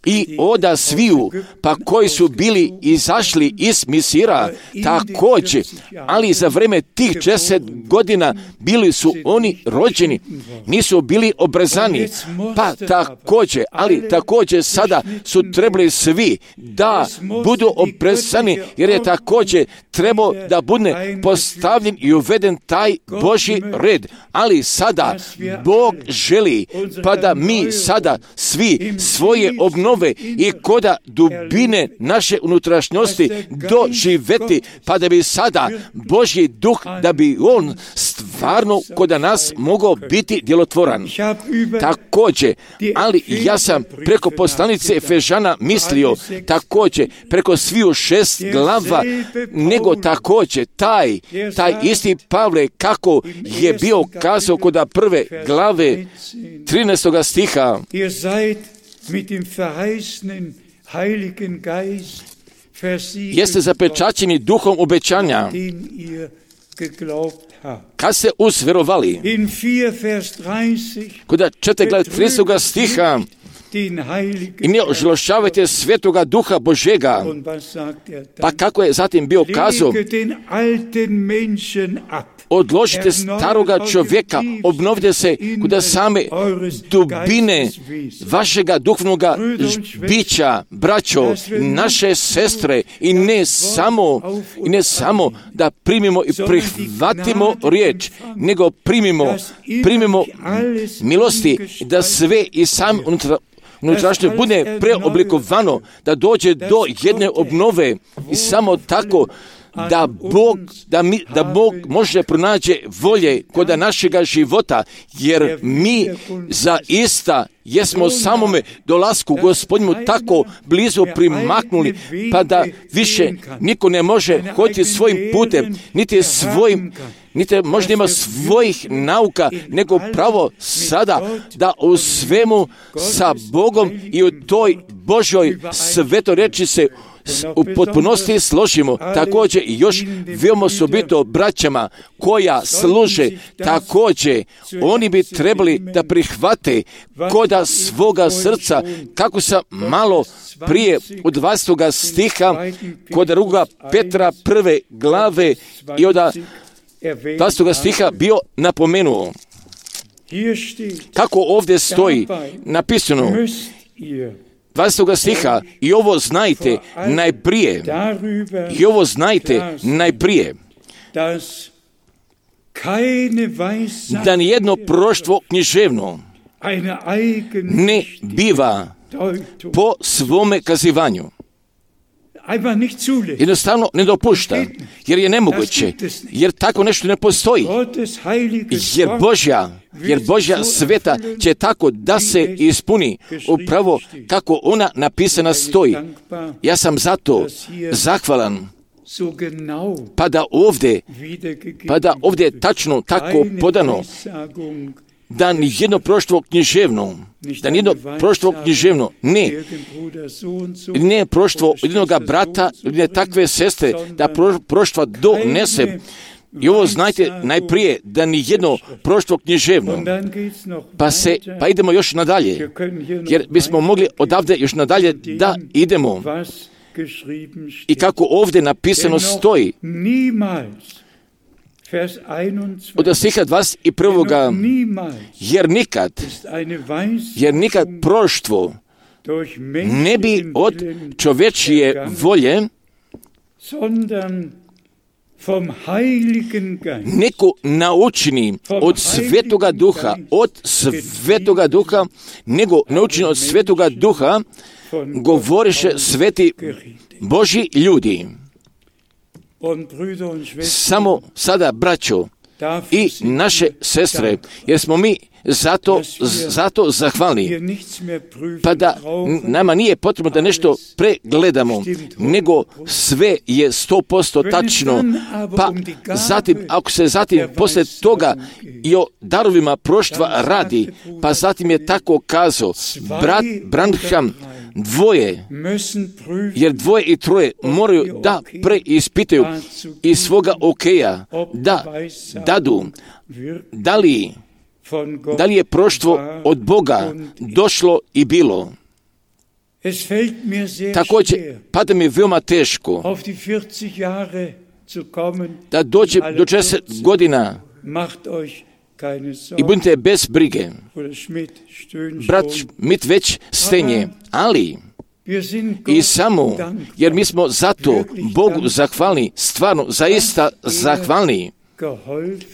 i oda sviju, pa koji su bili izašli iz Misira također, ali za vreme tih 10 godina bili su oni rođeni, nisu bili obrezani, pa također, ali također sada su trebali svi da budu obrezani, jer je također trebao da bude postavljen i uveden taj Božji red, ali sada Bog želi pa da mi sada svi svoje obnove i koda dubine naše unutrašnjosti doživeti, pa da bi sada Božji duh, da bi on stvarno koda nas mogao biti djelotvoran. Također, ali ja sam preko poslanice Efežana mislio također preko sviju 6 glava, nego također taj isti Pavle kako je bio kazao koda prve glave 13. stiha. Jeste zapečaćeni duhom obećanja, kad ste uzverovali. Koda 4. glave 30. stiha, i ne ožalošćavajte svetoga duha Božega. Pa kako je zatim bio kazao? Odložite staroga čovjeka, obnovite se kuda same dubine vašega duhovnoga bića, braćo, naše sestre, i ne samo da primimo i prihvatimo riječ, nego primimo milosti, da sve i sam unutrašnje bude preoblikovano, da dođe do jedne obnove, i samo tako da Bog može pronaći volje kod našega života, jer mi zaista jesmo samome dolasku Gospodinu tako blizu primaknuli, pa da više niko ne može hoditi svojim putem, niti možda ima svojih nauka, nego pravo sada da u svemu sa Bogom i u toj Božoj svetoreči se u potpunosti složimo. Također i još veoma osobito braćama koja služe, također oni bi trebali da prihvate koda svoga srca, kako sam malo prije od 20. stiha kod 2. Petra 1. glave i od 20. stiha bio napomenuo. Kako ovdje stoji napisano 20. stiha, i ovo znajte najprije, da nijedno proroštvo književno ne biva po svome kazivanju. Jednostavno ne dopušta, jer je nemoguće, jer tako nešto ne postoji, jer Božja sveta će tako da se ispuni upravo kako ona napisana stoji. Ja sam zato zahvalan, pa da ovdje tačno tako podano, da nijedno proroštvo književno, ne proroštvo jednog brata, ne takve sestre, da proroštva donese. I ovo znajte najprije, da nijedno proroštvo književno. Pa idemo još nadalje, jer bismo mogli odavde još nadalje da idemo. I kako ovdje napisano stoji, od stiha 21. jer nikad proroštvo ne bi od čovječije volje neko naučeni od svetoga duha, nego naučeni od svetoga duha, govoriše sveti Božji ljudi. Samo sada, braćo i naše sestre, jer smo mi zato zahvalni, pa da nama nije potrebno da nešto pregledamo, nego sve je 100% tačno. Pa zatim, ako se zatim poslije toga i o darovima proroštva radi, pa zatim je tako kazao brat Branham, jer 2 i 3 moraju da preispitaju iz svoga okeja, da dadu da li je proroštvo od Boga došlo i bilo. Također, pada mi veoma teško da dođe do 40 godina i budite bez brige. Brat Schmidt već stenje, ali i samo, jer mi smo zato Bogu zahvalni, stvarno, zaista zahvalni,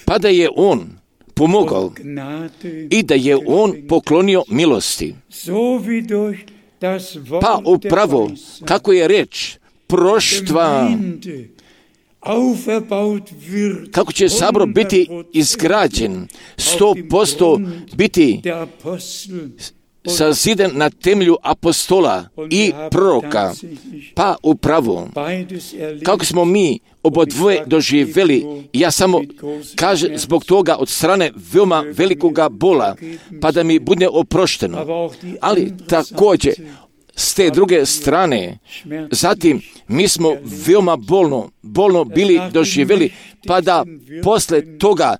pa da je On pomogao i da je On poklonio milosti. Pa upravo, kako je reč, proštva, kako će sabor biti izgrađen, 100% biti saziden na temelju apostola i proroka. Pa upravo, kako smo mi obodvoje doživjeli, ja samo kažem zbog toga od strane veoma velikoga bola, pa da mi bude oprošteno. Ali također, s te druge strane, zatim mi smo veoma bolno bili doživjeli, pa da posle toga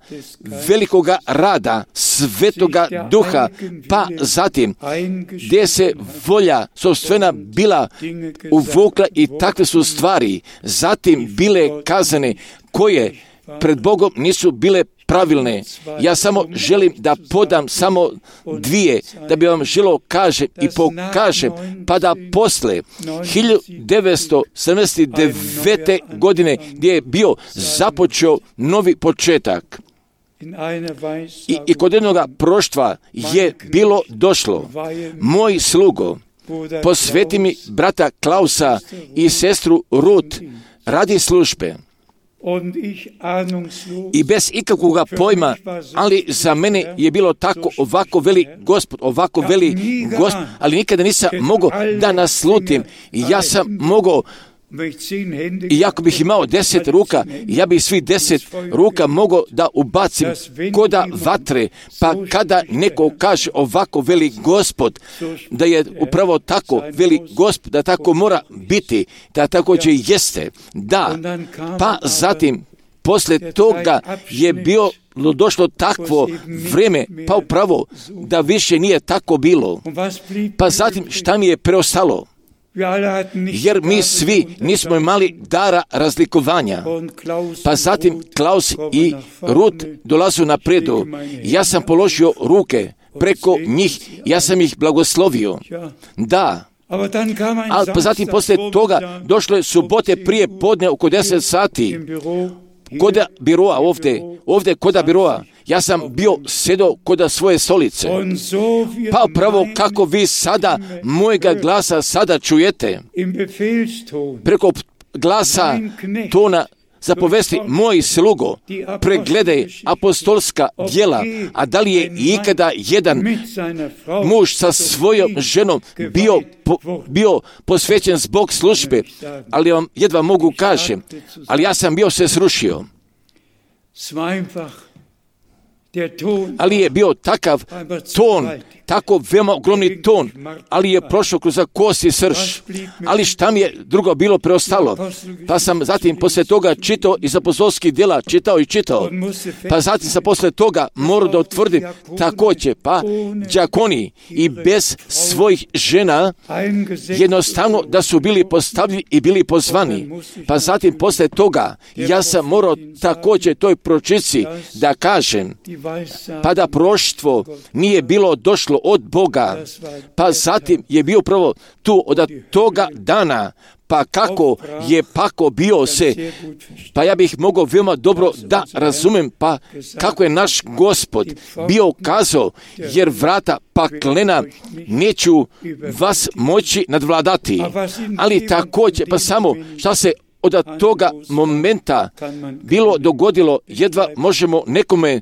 velikoga rada Svetoga Duha, pa zatim gdje se volja sopstvena bila uvukla i takve su stvari, zatim bile kazane koje pred Bogom nisu bile pravilne. Ja samo želim da podam samo dvije, da bi vam želio kažem i pokažem, pa da posle 1979. godine gdje je bio započeo novi početak i kod jednoga proštva je bilo došlo. Moj slugo, posveti mi brata Klausa i sestru Ruth radi službe. I bez ikakvoga pojma, ali za mene je bilo tako, ovako veli Gospod, ali nikada nisam mogao da naslutim. Ja sam mogao, i ako bih imao 10 ruka, ja bih svih 10 ruka mogao da ubacim koda vatre, pa kada neko kaže ovako veli Gospod, da je upravo tako veli Gospod, da tako mora biti, da tako će jeste, da, pa zatim poslije toga je bilo došlo takvo vrijeme, pa upravo da više nije tako bilo. Pa zatim šta mi je preostalo? Jer mi svi nismo imali dara razlikovanja. Pa zatim Klaus i Ruth dolazu napredu. Ja sam položio ruke preko njih, ja sam ih blagoslovio. Da. Ali pa zatim poslije toga došlo je subote prije podne oko 10 sati. Koda biroa ovdje koda biroa. Ja sam bio sjedo koda svoje stolice. Pa pravo kako vi sada mojega glasa sada čujete. Preko glasa tona zapovesti moj slugo, pregledaj apostolska djela, a da li je ikada jedan muž sa svojom ženom bio posvećen zbog službe, ali vam jedva mogu kažem, ali ja sam bio se srušio. Ali je bio takav ton, tako veoma ogromni ton, ali je prošao kroz kost i srž. Ali šta mi je drugo bilo preostalo? Pa sam zatim poslije toga čitao iz apostolskih djela, čitao. Pa zatim sam poslije toga morao da utvrdim također, pa đakoni i bez svojih žena jednostavno da su bili postavljeni i bili pozvani. Pa zatim poslije toga ja sam morao također toj pročici da kažem, pa da proštvo nije bilo došlo od Boga, pa zatim je bio prvo tu od toga dana, pa kako je pako bio se, pa ja bih mogao veoma dobro da razumem, pa kako je naš Gospod bio kazao, jer vrata paklena neću vas moći nadvladati, ali također, pa samo šta se od toga momenta bilo dogodilo, jedva možemo nekome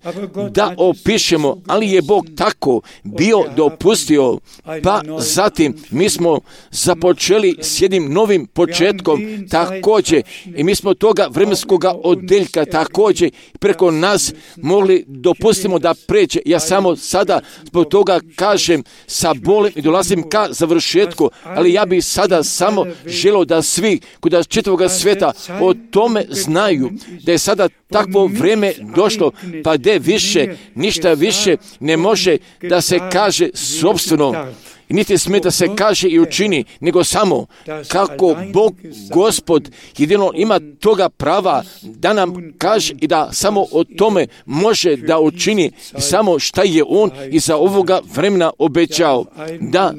da opišemo, ali je Bog tako bio dopustio, pa zatim mi smo započeli s jednim novim početkom također i mi smo toga vremenskoga odeljka također preko nas mogli dopustimo da pređe. Ja samo sada zbog toga kažem sa bolem i dolazim ka završetku, ali ja bih sada samo želio da svi kod čitavoga sveta o tome znaju da je sada takvo vrijeme došlo, pa gdje više, ništa više ne može da se kaže sopstveno. niti smije da se kaže i učini, nego samo kako Bog, Gospod, jedino ima toga prava da nam kaže i da samo o tome može da učini samo šta je On iza ovoga vremena obećao. Da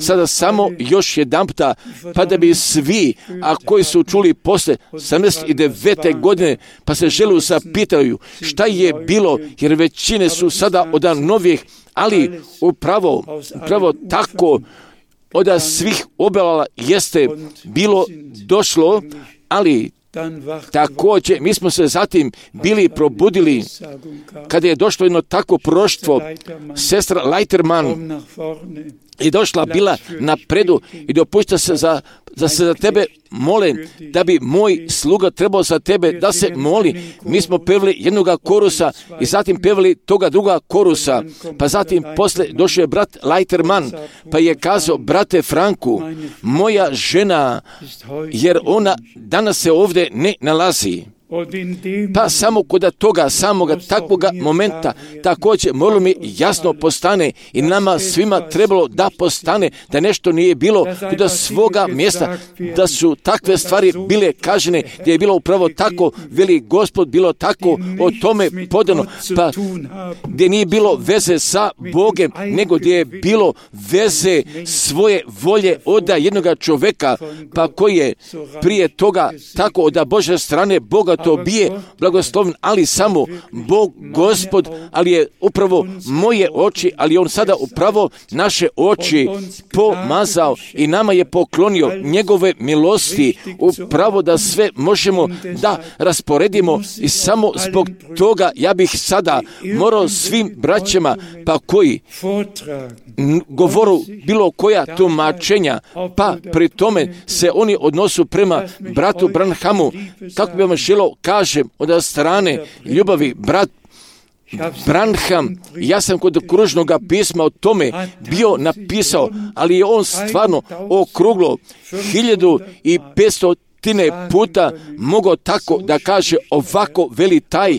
sada samo još jedanputa, pa da bi svi, a koji su čuli posle 79. godine, pa se žele zapitaju šta je bilo, jer većine su sada od novih, ali upravo tako od svih objava jeste bilo došlo, ali također mi smo se zatim bili probudili kada je došlo jedno takvo proroštvo. Sestra Leiterman je došla bila napredu i dopušta se da se za tebe mole, da bi moj sluga trebao za tebe da se moli. Mi smo pevali jednoga korusa i zatim pevali toga druga korusa, pa zatim posle došao je brat Leiterman, pa je kazao: brate Franku, moja žena, jer ona danas se ovdje ne nalazi. Pa samo kod toga samoga takvoga momenta također moralo mi jasno postane i nama svima trebalo da postane da nešto nije bilo kod svoga mjesta, da su takve stvari bile kažene, gdje je bilo upravo tako, veli Gospod, bilo tako o tome podano, pa gdje nije bilo veze sa Bogem, nego gdje je bilo veze svoje volje od jednoga čovjeka, pa koji je prije toga tako od Božje strane Boga to bije blagosloven, ali samo Bog, Gospod, ali je upravo moje oči, ali On sada upravo naše oči pomazao i nama je poklonio njegove milosti, upravo da sve možemo da rasporedimo i samo zbog toga ja bih sada morao svim braćama, pa koji govoru bilo koja tumačenja, pa pri tome se oni odnosu prema bratu Branhamu, kako bi vam želo kažem od strane ljubavi, brat Branham, ja sam kod kružnog pisma o tome bio napisao, ali je on stvarno okruglo 1500 puta mogao tako da kaže ovako, veli taj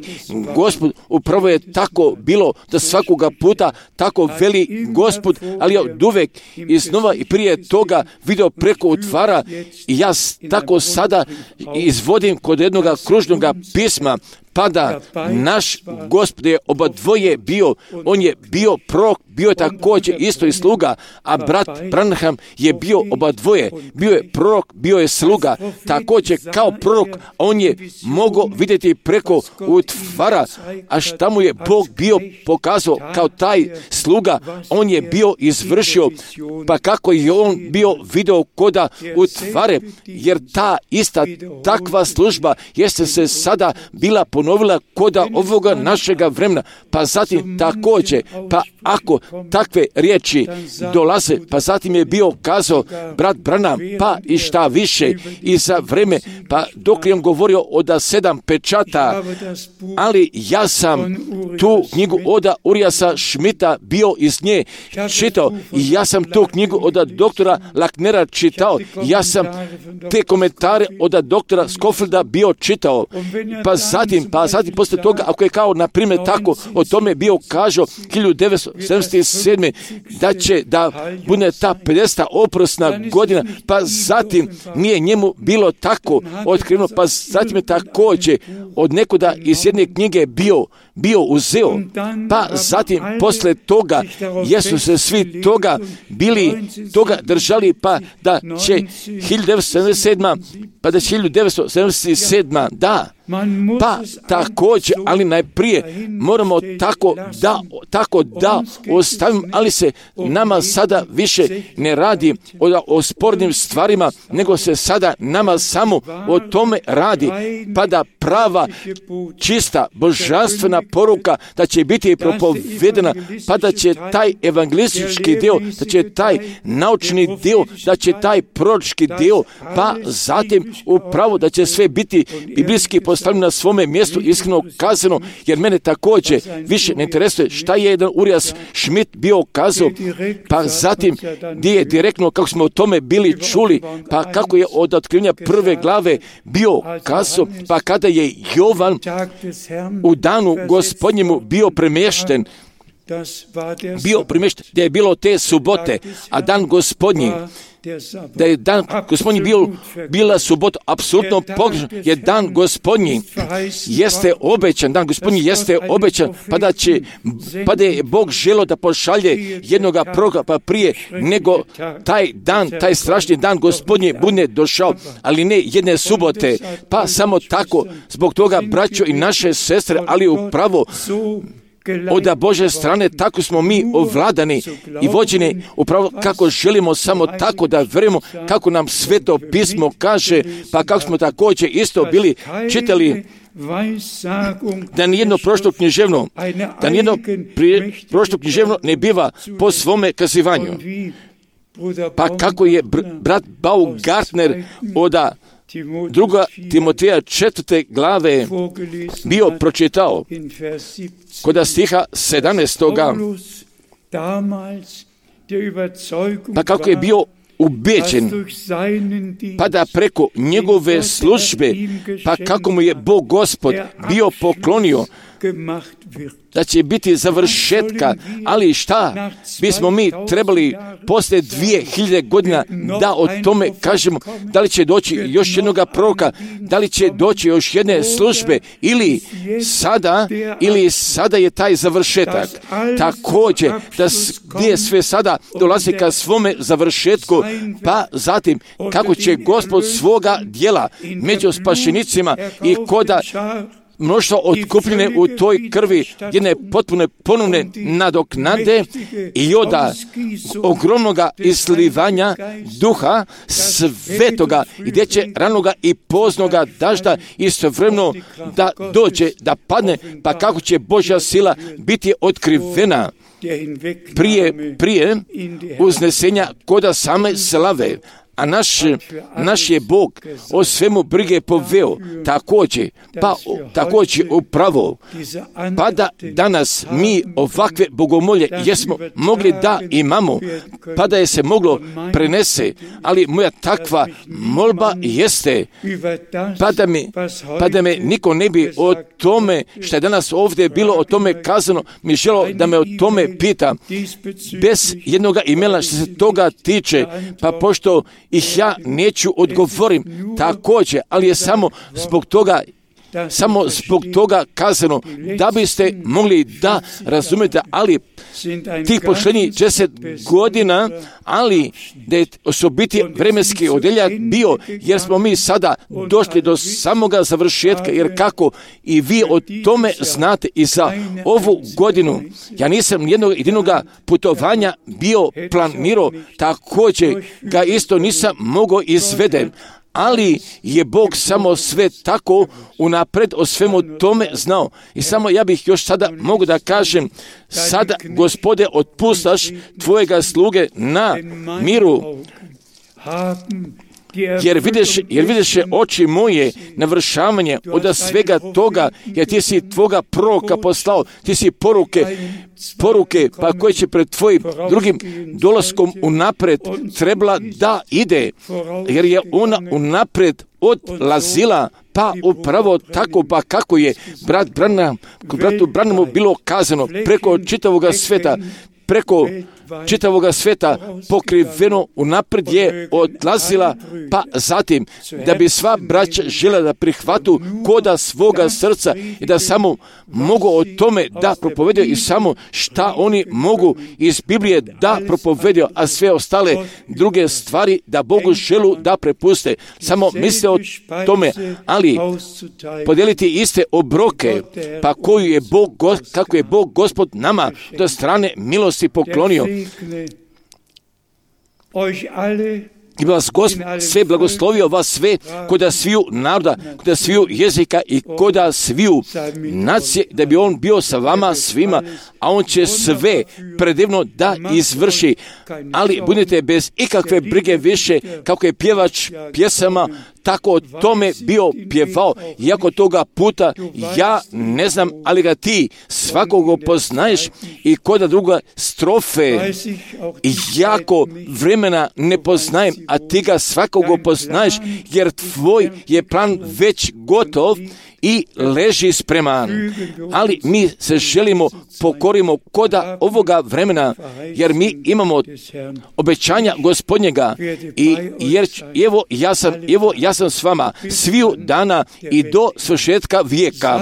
Gospod. Upravo je tako bilo da svakoga puta tako veli Gospod, ali ja od uvek iznova i prije toga video preko utvara i ja tako sada izvodim kod jednog kružnog pisma, pa da naš Gospod je obadvoje bio, on je bio prorok, bio je također isto i sluga, a brat Branham je bio obadvoje, bio je prorok, bio je sluga, također kao prorok, on je mogao vidjeti preko utvara, a šta mu je Bog bio pokazao kao taj sluga, on je bio izvršio, pa kako je on bio video koda utvare, jer ta ista takva služba jeste se sada bila ponovila koda ovoga našega vremena, pa zatim također, pa ako takve riječi dolaze, pa zatim je bio kazao brat Branham, pa i šta više i za vreme, pa dok je on govorio od 7 pečata, ali ja sam tu knjigu od Uriasa Schmidta bio iz nje čitao i ja sam tu knjigu od doktora Lacknera čitao, ja sam te komentare od doktora Scofielda bio čitao, pa zatim poslije toga, ako je kao na primjer tako o tome bio kažao 1977. da će da bude ta 50. oprosna godina, pa zatim nije njemu bilo tako otkriveno, pa zatim je također od nekuda iz jedne knjige bio uzeo, pa zatim posle toga jesu se svi toga bili toga držali, pa da će 1977, da, pa također, ali najprije moramo tako da ostavimo, ali se nama sada više ne radi o spornim stvarima, nego se sada nama samo o tome radi, pa da prava, čista, božanstvena poruka da će biti propovedena, pa da će taj evangelistički dio, da će taj naučni dio, da će taj proročki dio, pa zatim upravo da će sve biti biblijski postavljeno na svome mjestu, iskreno kazano, jer mene također više ne interesuje šta je jedan Urias Schmidt bio kazao, pa zatim gdje je direktno, kako smo o tome bili čuli, pa kako je od otkrivenja prve glave bio kazao, pa kada je Jovan u danu Gospodnjemu bio premješten, bio primješten, da je bilo te subote, a dan Gospodnji, da je dan Gospodnji bila subota, apsolutno pogrešno, je dan Gospodnji jeste obećan, dan Gospodnji jeste obećan, pa da je Bog želio da pošalje jednoga proroka pa prije nego taj dan, taj strašni dan Gospodnji bude došao, ali ne jedne subote, pa samo tako, zbog toga braćo i naše sestre, ali upravo od Božje strane tako smo mi ovladani i vođeni upravo kako želimo, samo tako da vjerujemo kako nam Sveto pismo kaže, pa kako smo također isto bili čitali da nijedno prošlo književno ne biva po svome kazivanju. Pa kako je brat Baumgartner od druga Timoteja 4. glave bio pročitao kod stiha 17. Pa kako je bio ubeđen, pa da preko njegove službe, pa kako mu je Bog Gospod bio poklonio da će biti završetka, ali šta bismo mi trebali poslije 2000 godina da o tome kažemo, da li će doći još jednog proroka, da li će doći još jedne službe, ili sada je taj završetak. Također, da gdje sve sada dolazi ka svome završetku, pa zatim kako će Gospod svoga djela među spašenicima i koda mnoštvo otkupljene u toj krvi jedne potpune ponovne nadoknade i od ogromnoga islivanja duha svetoga, gdje će ranoga i poznoga dažda istovremeno da dođe, da padne, pa kako će Božja sila biti otkrivena prije uznesenja koda same slave. A naš je Bog o svemu brige poveo, također upravo, pa da danas mi ovakve bogomolje jesmo mogli da imamo, pa da je se moglo prenese, ali moja takva molba jeste, pa da me niko ne bi o tome što je danas ovdje bilo o tome kazano, mi želo da me o tome pita, bez jednoga imela što se toga tiče, pa pošto ih ja neću odgovorim također, ali je samo zbog toga kazano, da biste mogli da razumete, ali tih posljednjih 10 godina, ali da je osobiti vremenski odeljak bio, jer smo mi sada došli do samoga završetka, jer kako i vi o tome znate i za ovu godinu, ja nisam jednog jedinoga putovanja bio planirao, također ga isto nisam mogao izveden, ali je Bog samo sve tako unapred o svemu tome znao. I samo ja bih još sada mogu da kažem, sada Gospode otpustaš tvojega sluge na miru, jer vidiš oči moje navršavanje od svega toga, jer ti si tvoga proroka poslao, ti si poruke pa koje će pred tvojim drugim dolaskom unapred trebala da ide, jer je ona unapred odlazila, pa upravo tako, pa kako je bratu Branhamu bilo kazano, preko čitavoga sveta pokriveno unaprijed je odlazila, pa zatim da bi sva braća žela da prihvatu koda svoga srca i da samo mogu o tome da propovedaju i samo šta oni mogu iz Biblije da propovedaju, a sve ostale druge stvari da Bogu želu da prepuste. Samo misle o tome, ali podijeliti iste obroke, pa kako je Bog Gospod nama do strane milosti poklonio. I vas sve blagoslovio vas sve koda sviju naroda, koda sviju jezika i koda sviju nacije, da bi on bio sa vama svima, a on će sve predivno da izvrši. Ali budite bez ikakve brige više, kako je pjevač pjesama tako o tome bio pjevao, iako toga puta ja ne znam, ali ga ti svakoga poznaješ i koda druga strofe i jako vremena ne poznajem, a ti ga svakoga poznaješ, jer tvoj je plan već gotov i leži spreman. Ali mi se želimo pokorimo koda ovoga vremena, jer mi imamo obećanja Gospodnjega i jer evo ja sam s vama sviju dana i do svršetka vijeka.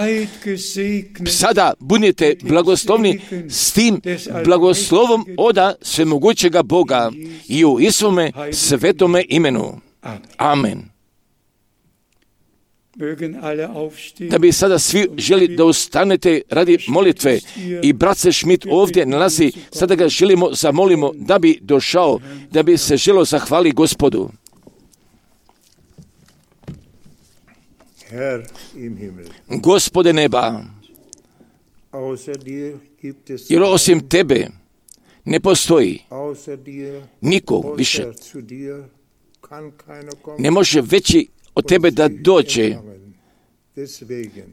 Sada budite blagoslovni s tim blagoslovom oda svemogućega Boga i u Isuvome svetome imenu. Amen. Da bi sada svi želi da ustanete radi molitve i brat se Schmidt ovdje nalazi, sada ga želimo zamolimo da bi došao, da bi se želo zahvali Gospodu. Gospode neba, jer osim tebe ne postoji niko više. Ne može veći od tebe da dođe.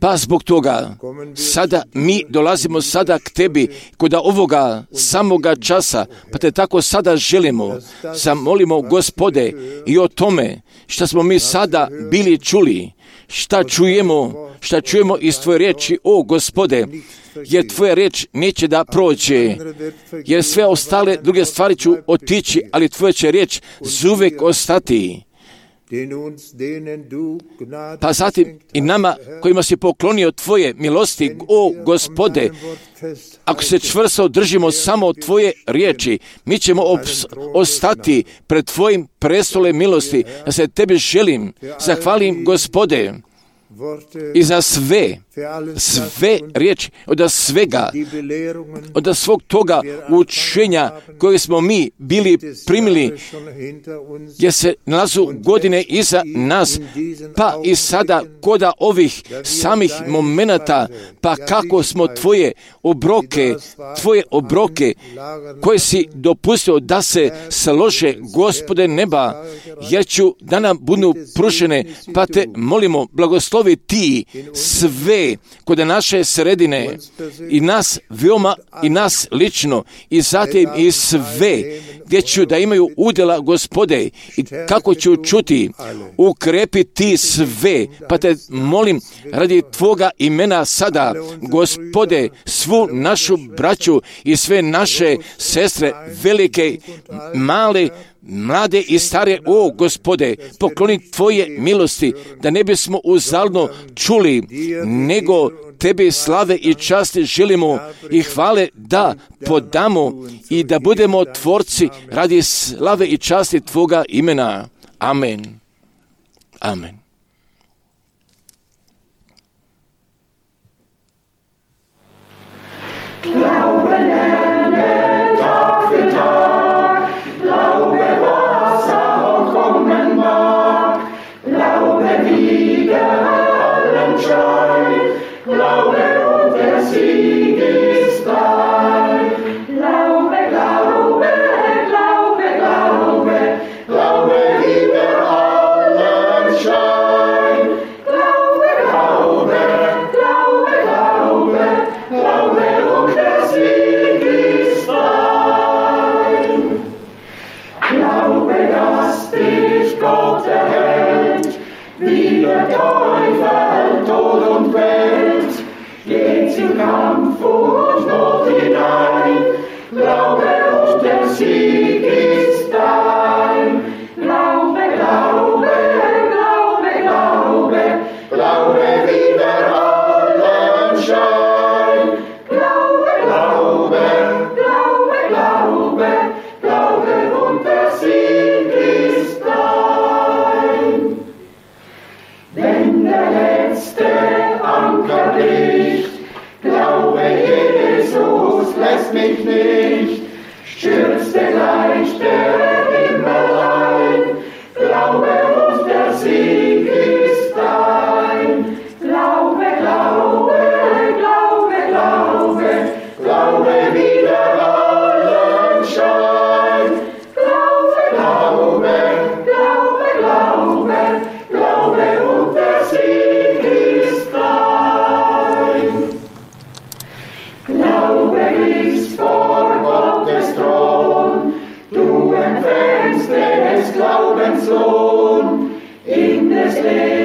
Pa zbog toga sada mi dolazimo sada k tebi kod ovoga samoga časa, pa te tako sada želimo, zamolimo Gospode i o tome što smo mi sada bili čuli, šta čujemo iz tvoje riječi, o Gospode, jer tvoja riječ neće da prođe, jer sve ostale druge stvari ću otići, ali tvoja će riječ zuvek ostati. Pa zatim i nama kojima si poklonio tvoje milosti, o Gospode, ako se čvrsto držimo samo tvoje riječi, mi ćemo ostati pred tvojim prestolem milosti. Ja se tebi želim, zahvalim Gospode i za sve riječi, od svega, od svog toga učenja koje smo mi bili primili, jer se nalazu godine iza nas, pa i sada koda ovih samih momenata, pa kako smo tvoje obroke koje si dopustio da se slože, Gospode neba, jer ću da nam budu prušene, pa te molimo, blagoslovi ti sve kod naše sredine i nas veoma i nas lično i zatim i sve gdje ću da imaju udjela, Gospode, i kako ću čuti, ukrepiti sve, pa te molim radi tvoga imena sada, Gospode, svu našu braću i sve naše sestre, velike, male, mlade i stare, o Gospode, pokloni tvoje milosti, da ne bismo uzaludno čuli, nego tebi slave i časti želimo i hvale da podamo i da budemo tvorci radi slave i časti tvoga imena. Amen. Amen. Glaube und der Sieg ist dein. Glaube, Glaube, Glaube, Glaube, Glaube über allen Schein. Glaube, Glaube, Glaube, Glaube, Glaube und der Sieg ist dein. Glaube, dass dich Gott erhält, wie der Teufel Tod und Welt, geht im Kampf und Not hinein. Glaube und der Sieg ist dein. Glaube, Glaube, Glaube, Glaube, Glaube wider allen Schein. Glaube, Glaube, Glaube, Glaube, Glaube und der Sieg ist dein. Wenn der letzte Anker bricht, glaube Jesus lässt mich nicht, stürzte gleich der Himmel ein, glaube und der Sieg ist dein. Glaube, Glaube, Glaube, Glaube, Glaube wider allen Schein. Glaube, Glaube, Glaube, Glaube, Glaube und der Sieg ist dein. Glaube ist vor Gottes Thron, du empfängst des Glaubens Lohn in des Lebens.